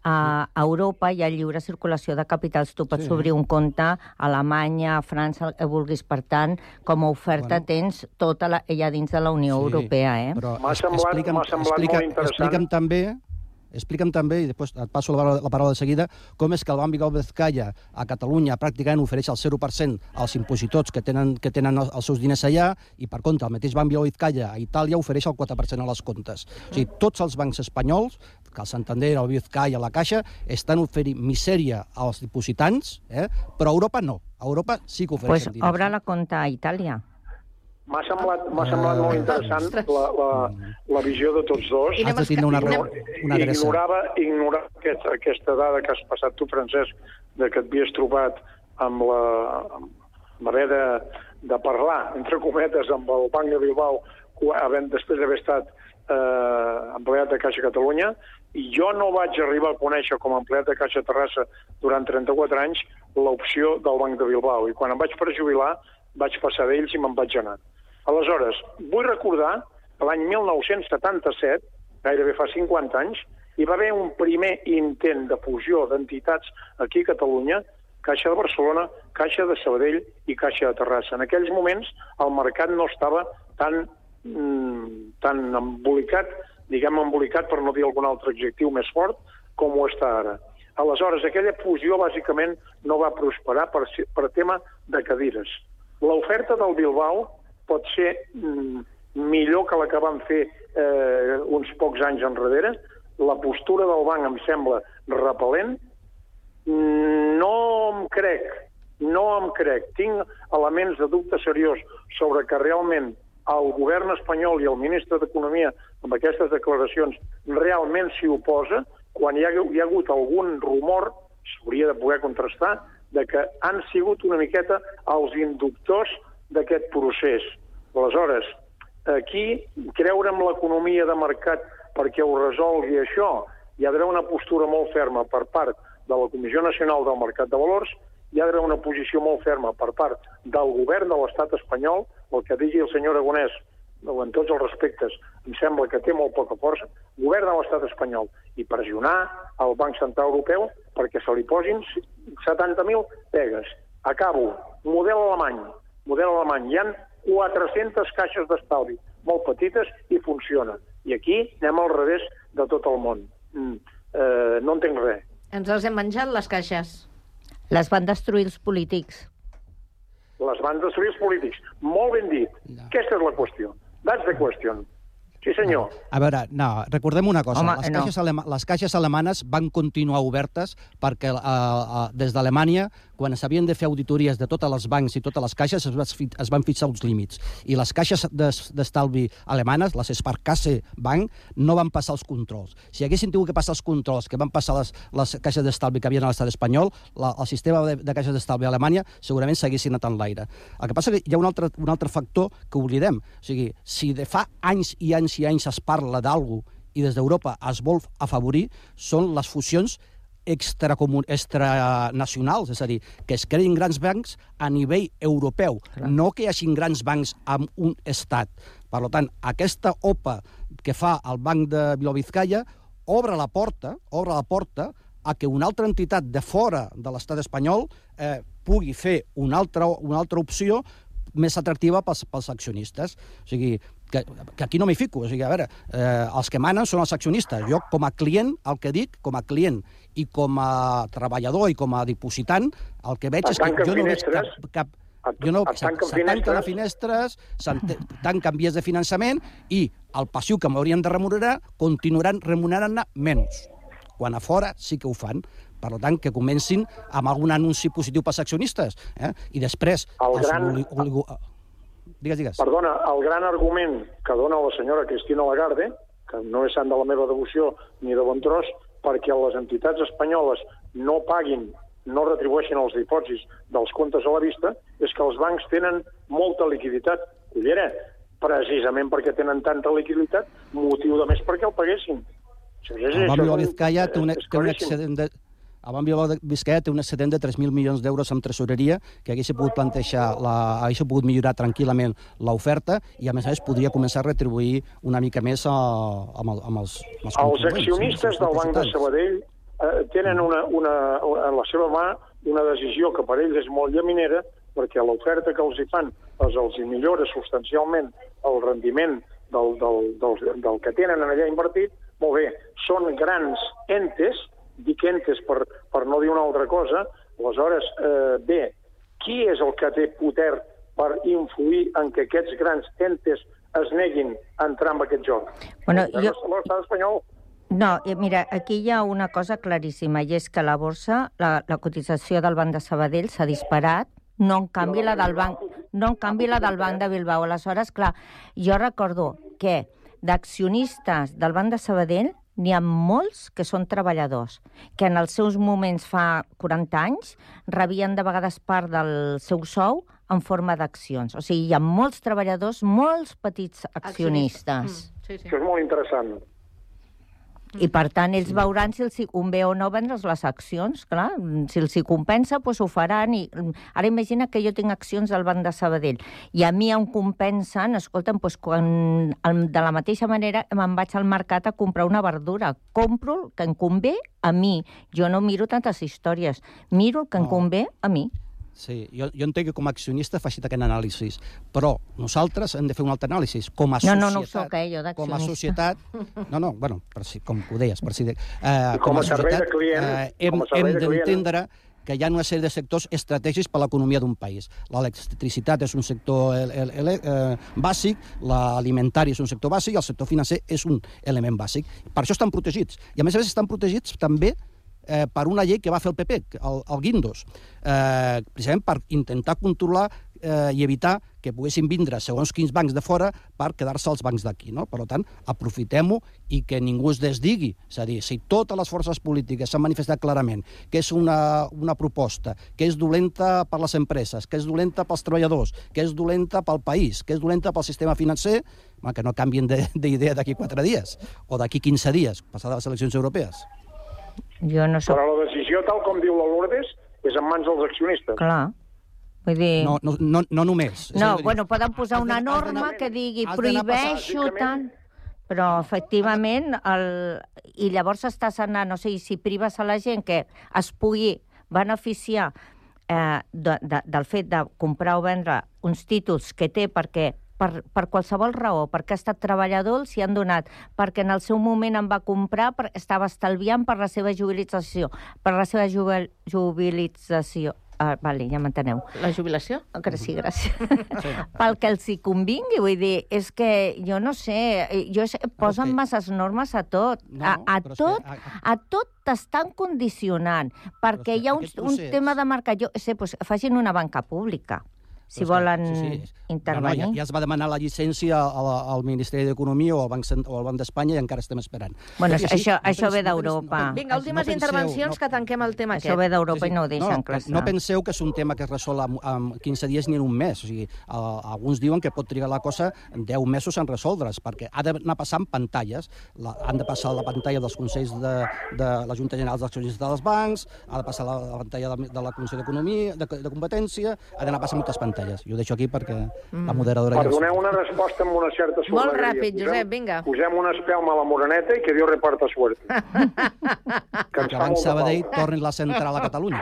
a Europa hi ha lliure circulació de capitals. Tu pots obrir un compte a Alemanya, a França, el que vulguis. Per tant, com a oferta tens tota ella dins de la Unió Europea. Però m'ha semblat molt interessant. Explica'm també, i després et passo la paraula de seguida, com és que el Banc Bilbao Vizcaya a Catalunya pràcticament ofereix el 0% als impositors que tenen els seus diners allà, i per contra el mateix Banc Bilbao Vizcaya a Itàlia ofereix el 4% a les comptes. O sigui, tots els bancs espanyols, que el Santander, el Vizcaya, la Caixa, estan oferint misèria als dipositants, però a Europa no. A Europa sí que ofereixen diners. Doncs obre la compta a Itàlia. M'ha semblat molt interessant la visió de tots dos. Has de tindre una adreça. Ignorava aquesta dada que has passat tu, Francesc, de que et havies trobat amb haver de parlar, entre cometes, amb el Banc de Bilbao després d'haver estat empleat de Caixa Catalunya, i jo no vaig arribar a conèixer com a empleat de Caixa Terrassa durant 34 anys l'opció del Banc de Bilbao, i quan em vaig per jubilar vaig passar d'ells i me'n vaig anar. Aleshores, vull recordar que l'any 1977, gairebé fa 50 anys, hi va haver un primer intent de fusió d'entitats aquí a Catalunya, Caixa de Barcelona, Caixa de Sabadell i Caixa de Terrassa. En aquells moments el mercat no estava tan embolicat, embolicat per no dir algun altre adjectiu més fort, com ho està ara. Aleshores, aquella fusió bàsicament no va prosperar per tema de cadires. L'oferta del Bilbao pot ser millor que la que van fer uns pocs anys enrere. La postura del banc em sembla repel·lent. No em crec. Tinc elements de dubte seriós sobre que realment el govern espanyol i el ministre d'Economia amb aquestes declaracions realment s'hi oposa, quan hi ha hagut algun rumor, s'hauria de poder contrastar, de que han sigut una miqueta els inductors d'aquest procés. Aleshores, aquí creure en l'economia de mercat perquè ho resolgui això hi ha d'haver una postura molt ferma per part de la Comissió Nacional del Mercat de Valors, hi ha d'haver una posició molt ferma per part del govern de l'estat espanyol, el que digui el senyor Aragonès, en tots els respectes, em sembla que té molt poca força, govern de l'estat espanyol, i pressionar el Banc Central Europeu perquè se li posin 70.000 pegues. Acabo. Model alemany. Hi ha 400 caixes d'estalvi, molt petites, i funciona. I aquí anem al revés de tot el món. No entenc res. Ens les hem menjat, les caixes. Les van destruir els polítics. Les van destruir els polítics. Molt ben dit. Aquesta és la qüestió. That's the question. Sí, senyor. A veure, no, recordem una cosa. Home, les caixes alemanes van continuar obertes perquè des d'Alemanya, quan s'havien de fer auditories de tots els bancs i totes les caixes, es van fixar uns límits. I les caixes d'estalvi alemanes, les Sparkasse Bank, no van passar els controls. Si haguessin tingut que passar els controls que van passar les caixes d'estalvi que havien a l'estat espanyol, el sistema de caixes d'estalvi a Alemanya segurament s'haguessin anat en l'aire. El que passa és que hi ha un altre factor que oblidem. O sigui, si de fa anys i anys es parla d'alguna cosa i des d'Europa es vol afavorir, són les fusions extranacionals, és a dir, que es creïn grans bancs a nivell europeu, no que hi hagi grans bancs amb un estat. Per tant, aquesta OPA que fa el Banc de Bilbao Vizcaya obre la porta a que una altra entitat de fora de l'estat espanyol pugui fer una altra opció més atractiva pels accionistes. O sigui, que aquí no m'hi fico. O sigui, a veure, els que manen són els accionistes. Jo, com a client, el que dic, com a client i com a treballador i com a dipositant, el que veig és que jo no veig cap... S'atanquen les finestres, s'atanquen vies de finançament i el passiu que m'haurien de remunerar continuaran remunerant-ne menys. Quan a fora sí que ho fan. Per tant, que comencin amb algun anunci positiu pels accionistes. I després... Digues. Perdona, el gran argument que dona la senyora Cristina Lagarde, que no és sant de la meva devoció ni de bon tros, perquè les entitats espanyoles no paguin, no retribueixin els dipòsits dels comptes a la vista, és que els bancs tenen molta liquiditat. Collera, precisament perquè tenen tanta liquiditat, motiu de més perquè el paguessin. El Banc Bilbao Vizcaya té un excedent de... El Banc Bilbao Vizcaya té un excedent de 3.000 milions d'euros en tresoreria que hagués pogut plantejar, hagués pogut millorar tranquil·lament l'oferta i, a més, podria començar a retribuir una mica més amb els Els accionistes del Banc de Sabadell tenen en la seva mà una decisió que per ells és molt llaminera, perquè l'oferta que els hi fan els hi millora substancialment el rendiment del que tenen allà invertit. Molt bé, són grans entes, dic entes per no dir una altra cosa. Aleshores, bé, qui és el que té poder per influir en que aquests grans entes es neguin a entrar en aquest joc? L'estat espanyol. No, mira, aquí hi ha una cosa claríssima, i és que la borsa, la cotització del Banc de Sabadell s'ha disparat, no en canvi la del Banc de Bilbao. Aleshores, clar, jo recordo que d'accionistes del Banc de Sabadell n'hi ha molts que són treballadors, que en els seus moments fa 40 anys rebien de vegades part del seu sou en forma d'accions. O sigui, hi ha molts treballadors, molts petits accionistes. Sí. Això és molt interessant. I, per tant, ells veuran si els convé o no vendre's les accions, clar. Si els hi compensa, doncs ho faran. Ara imagina que jo tinc accions del Banc de Sabadell i a mi em compensen, escolta'm, doncs quan de la mateixa manera me'n vaig al mercat a comprar una verdura. Compro el que em convé a mi. Jo no miro tantes històries. Miro el que em convé a mi. Sí, jo entenc que com a accionista faci aquest anàlisi, però nosaltres hem de fer un altre anàlisi. Com a societat... No ho soc, jo, d'accionista. Com a societat... No, com ho deies, com a servei de client... Hem d'entendre que hi ha una sèrie de sectors estratègics per a l'economia d'un país. L'electricitat és un sector bàsic, l'alimentari és un sector bàsic i el sector financer és un element bàsic. Per això estan protegits. I, a més estan protegits també per una llei que va fer el PP, el Guindos, precisament per intentar controlar i evitar que poguessin vindre segons quins bancs de fora per quedar-se als bancs d'aquí, no? Per tant, aprofitem-ho i que ningú es desdigui. És a dir, si totes les forces polítiques s'han manifestat clarament que és una proposta, que és dolenta per les empreses, que és dolenta pels treballadors, que és dolenta pel país, que és dolenta pel sistema financer, que no canvien d'idea d'aquí 4 dies o d'aquí 15 dies, passades les eleccions europees. Jo no soc... Però la decisió, tal com diu la Lourdes, és en mans dels accionistes. Clar. Vull dir... No només. No, bueno, poden posar una norma que digui prohibeixo tant... Però, efectivament, i llavors estàs anant, no sé, si prives a la gent que es pugui beneficiar del fet de comprar o vendre uns títols que té perquè per qualsevol raó, perquè ha estat treballador, s'hi han donat, perquè en el seu moment en va comprar, estava estalviant per la seva jubilització, Vale, ja m'enteneu. La jubilació? Sí, gràcies. Pel que els hi convingui, vull dir, és que jo no sé, posen masses normes a tot. A tot t'estan condicionant, perquè hi ha un tema de mercat. Jo sé, facin una banca pública. Si volen intervenir. Ja es va demanar la llicència al Ministeri d'Economia o al Banc d'Espanya i encara estem esperant. Bueno, això ve d'Europa. Vinga, últimes intervencions que tanquem el tema aquest. Això ve d'Europa i no ho deixen clar. No penseu que és un tema que es resol en 15 dies ni en un mes. O sigui, alguns diuen que pot trigar la cosa 10 mesos en resoldre's, perquè ha d'anar passant pantalles. Han de passar la pantalla dels consells de la Junta General d'Accionistes dels bancs, ha de passar la pantalla de la Comissió d'Economia, de Competència, ha d'anar passant moltes pantalles. Jo ho deixo aquí perquè la moderadora... Perdoneu una resposta amb una certa sorneria. Molt ràpid, Josep, vinga. Posem una espelma a la moreneta i que Dios reparta suerte. Que abans Sabadell torni la central a Catalunya.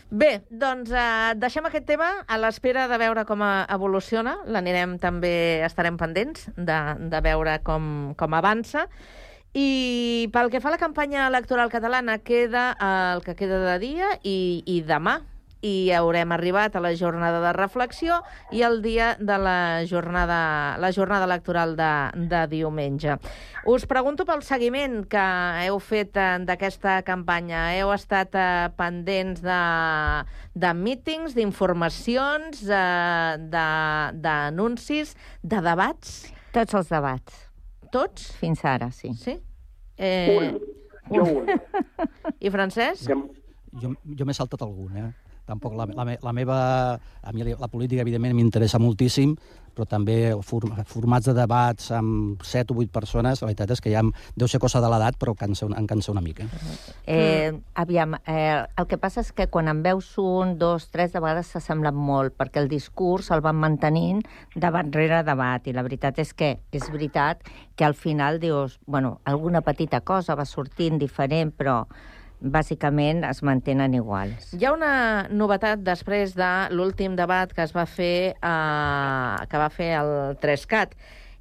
Bé, doncs deixem aquest tema a l'espera de veure com evoluciona. L'anirem també, estarem pendents de veure com avança. I pel que fa a la campanya electoral catalana, queda el que queda de dia i demà. I haurem arribat a la jornada de reflexió i el dia de la jornada electoral de diumenge. Us pregunto pel seguiment que heu fet d'aquesta campanya. Heu estat pendents de mítings, d'informacions, d'anuncis, de debats? Tots els debats. Tots? Fins ara, sí. Sí? Un. I Francesc? Jo m'he saltat algun, Tampoc la meva... A mi la política, evidentment, m'interessa moltíssim, però també formats de debats amb 7 o 8 persones, la veritat és que ja deu ser cosa de l'edat, però em cansa una mica. Aviam, el que passa és que quan en veus 1, 2, 3, de vegades s'assemblen molt, perquè el discurs el van mantenint debat rere debat, i la veritat és que és veritat que al final dius, bueno, alguna petita cosa va sortint diferent, però bàsicament es mantenen iguals. Hi ha una novetat després de l'últim debat que es va fer que va fer el 3CAT,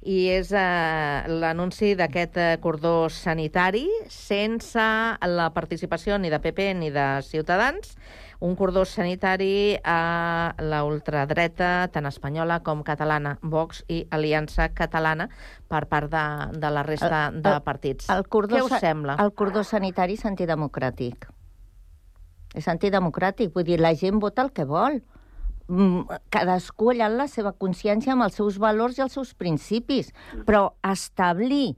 i és l'anunci d'aquest cordó sanitari sense la participació ni de PP ni de Ciutadans, un cordó sanitari a la ultradreta, tant espanyola com catalana, Vox i Aliança Catalana, per part de la resta de partits. Què us sembla? El cordó sanitari és antidemocràtic. És antidemocràtic, vull dir, la gent vota el que vol. Cadascú allà en la seva consciència amb els seus valors i els seus principis, però establir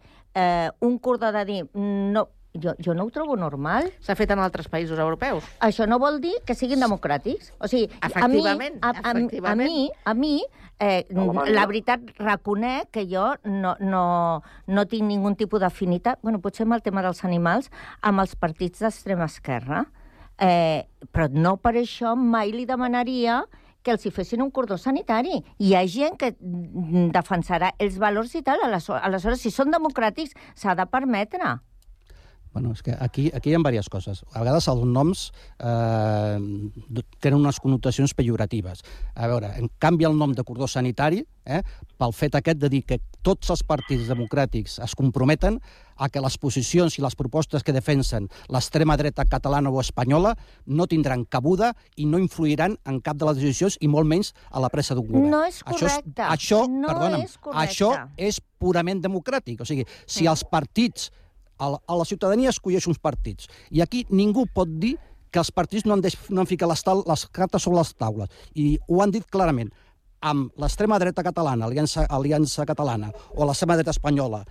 un cordó de dir... Jo no ho trobo normal. S'ha fet en altres països europeus. Això no vol dir que siguin democràtics. O sigui, efectivament. A mi, la veritat, reconec que jo no tinc ningun tipus d'afinitat, bueno, potser amb el tema dels animals, amb els partits d'extrema esquerra, però no per això mai li demanaria que els hi fessin un cordó sanitari. Hi ha gent que defensarà els valors i tal, aleshores, si són democràtics, s'ha de permetre. Bueno, és que aquí hi ha diverses coses. A vegades els noms tenen unes connotacions pejoratives. A veure, en canvi el nom de cordó sanitari, pel fet aquest de dir que tots els partits democràtics es comprometen a que les posicions i les propostes que defensen l'extrema dreta catalana o espanyola no tindran cabuda i no influiran en cap de les decisions i molt menys a la presa d'un govern. No és correcte. Això és purament democràtic. O sigui, si els partits... A la ciutadania escolleix uns partits. I aquí ningú pot dir que els partits no han ficat les cartes sobre les taules. I ho han dit clarament. Amb l'extrema dreta catalana, Aliança Catalana, o l'extrema dreta espanyola,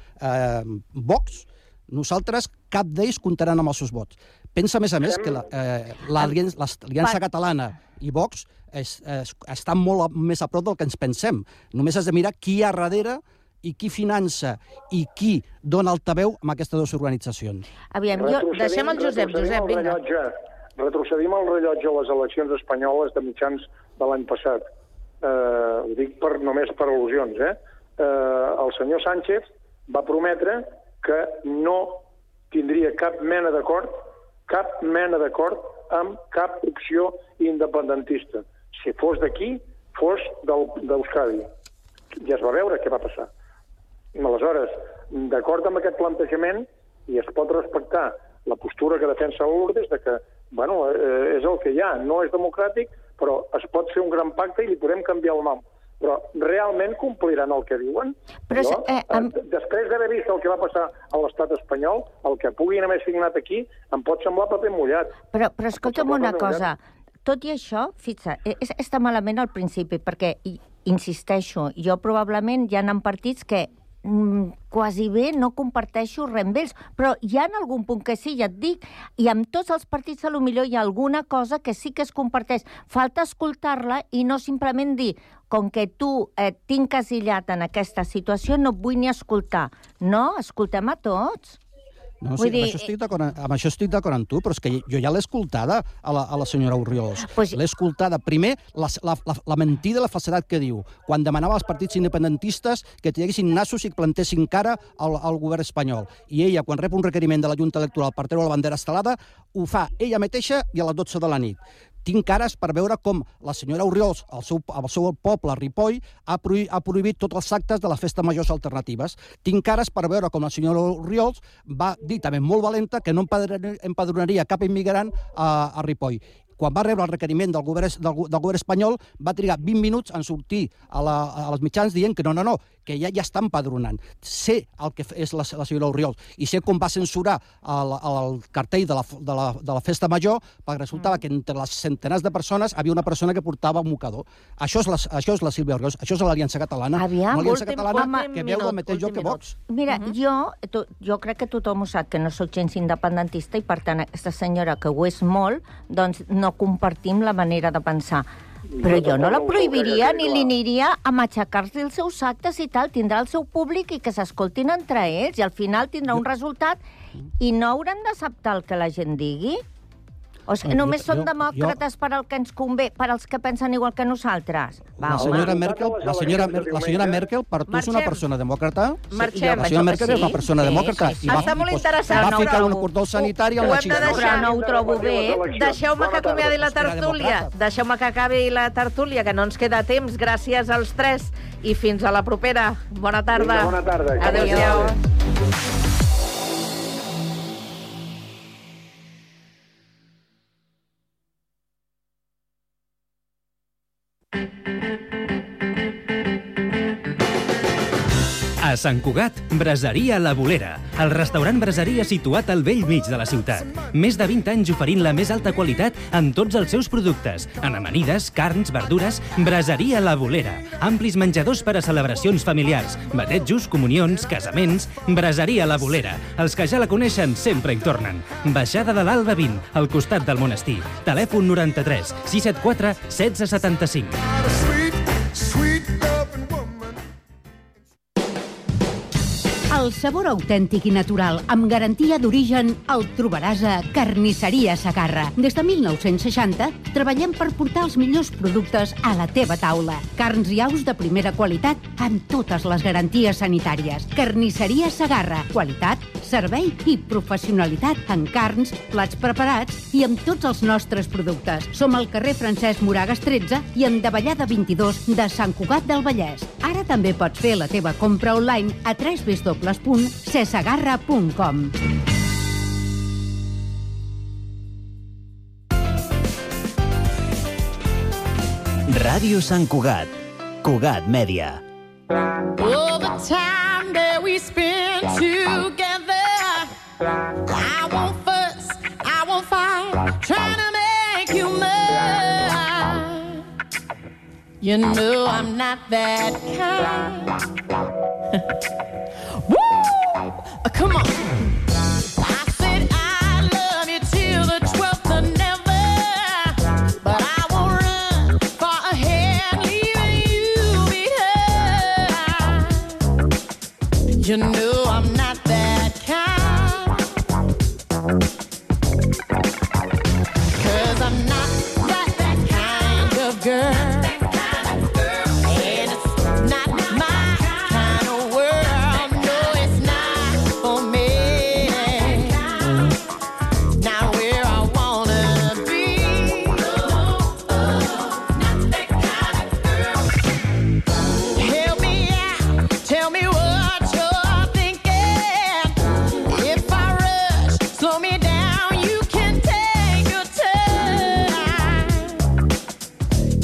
Vox, nosaltres, cap d'ells comptaran amb els seus vots. Pensa, a més, que l'Aliança Catalana i Vox estan molt més a prop del que ens pensem. Només has de mirar qui hi ha darrere i qui finança i qui dona altaveu amb aquestes dues organitzacions. Aviam, deixem el Josep, vinga. Retrocedim el rellotge a les eleccions espanyoles de mitjans de l'any passat. Ho dic només per al·lusions. El senyor Sánchez va prometre que no tindria cap mena d'acord amb cap opció independentista. Si fos d'aquí, fos d'Euskadi. Ja es va veure què va passar. Aleshores, d'acord amb aquest plantejament, i es pot respectar la postura que defensa Lourdes, de que, és el que hi ha, no és democràtic, però es pot fer un gran pacte i li podem canviar el nom. Però realment compliran el que diuen? Després d'haver vist el que va passar a l'estat espanyol, el que puguin haver signat aquí em pot semblar paper mullat. Però escolta'm una cosa, tot i això, fixa, està malament al principi, perquè, insisteixo, jo probablement hi ha partits que quasi bé no comparteixo res amb ells, però hi ha algun punt que sí, ja et dic, i amb tots els partits potser hi ha alguna cosa que sí que es comparteix. Falta escoltar-la i no simplement dir, com que tu tinc asillat en aquesta situació, no et vull ni escoltar. No, escoltem a tots. No, sí, amb això estic d'acord amb tu, però és que jo ja l'he escoltada a la senyora Orriols. L'he escoltada. Primer, la mentida i la falsedat que diu, quan demanava als partits independentistes que tinguessin nassos i que plantessin cara al govern espanyol. I ella, quan rep un requeriment de la Junta Electoral per treure la bandera estelada, ho fa ella mateixa i a les 12 de la nit. Tinc cares per veure com la senyora Orriols, el seu poble, Ripoll, ha prohibit tots els actes de les festes majors alternatives. Tinc cares per veure com la senyora Orriols va dir, també molt valenta, que no empadronaria cap immigrant a Ripoll. Quan va rebre el requeriment del govern espanyol, va trigar 20 minuts en sortir als mitjans dient que no, que ja està empadronant. Sé el que és la senyora Orriols i sé com va censurar el cartell de la festa major perquè resultava que entre les centenars de persones havia una persona que portava un mocador. Això és la Sílvia Orriols, això és l'Aliança Catalana. Una Aliança Catalana que veu el mateix joc que Vox. Mira, jo crec que tothom ho sap, que no soc gens independentista i, per tant, aquesta senyora, que ho és molt, doncs no compartim la manera de pensar. Però jo no la prohibiria ni li aniria a matxacar-se els seus actes i tal. Tindrà el seu públic i que s'escoltin entre ells i al final tindrà un resultat i no hauran d'acceptar el que la gent digui. O sigui, només són demòcrates per al que ens convé, per als que pensen igual que nosaltres. La senyora Merkel, per tu és una persona demòcrata? Marxem. La senyora Merkel és una persona demòcrata. Està molt interessant. Va ficar un cordó sanitari amb la xina. Però no ho trobo bé. Deixeu-me que acomiadi la tertúlia. Deixeu-me que acabi la tertúlia, que no ens queda temps. Gràcies als tres i fins a la propera. Bona tarda. Bona tarda. Adéu-siau. A Sant Cugat, Braseria La Bolera, el restaurant braseria situat al vell mig de la ciutat. Més de 20 anys oferint la més alta qualitat en tots els seus productes, en amanides, carns, verdures. Braseria La Bolera, amplis menjadors per a celebracions familiars, batejos, comunions, casaments. Braseria La Bolera, els que ja la coneixen sempre hi tornen. Baixada de l'Alba 20, al costat del monestir. Telèfon 93 674 1675. El sabor autèntic i natural, amb garantia d'origen, el trobaràs a Carnisseria Segarra. Des de 1960 treballem per portar els millors productes a la teva taula. Carns i aus de primera qualitat amb totes les garanties sanitàries. Carnisseria Segarra. Qualitat, servei i professionalitat en carns, plats preparats i amb tots els nostres productes. Som al carrer Francesc Moragas 13 i en Davallada 22 de Sant Cugat del Vallès. Ara també pots fer la teva compra online a www.cesegarra.com. Ràdio Sant Cugat. Cugat Mèdia. All the time that we spend together, I won't fuss, I won't fight, trying to You know I'm not that kind. Woo! Come on. I said I love you till the 12th of never, but I won't run far ahead, leaving you behind. You know I'm not that kind. 'Cause I'm not that kind of girl.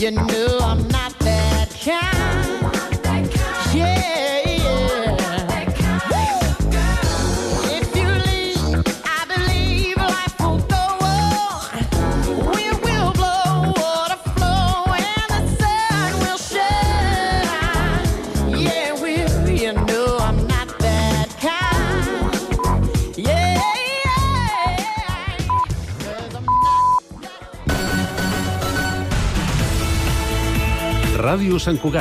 You know I'm not that kind. Yeah, yeah. If you leave, I believe life will go on. Wind will blow, water flow, and the sun will shine. Yeah, well, you know I'm not that kind. Yeah, yeah. 'Cause I'm Ràdio Sant Cugat.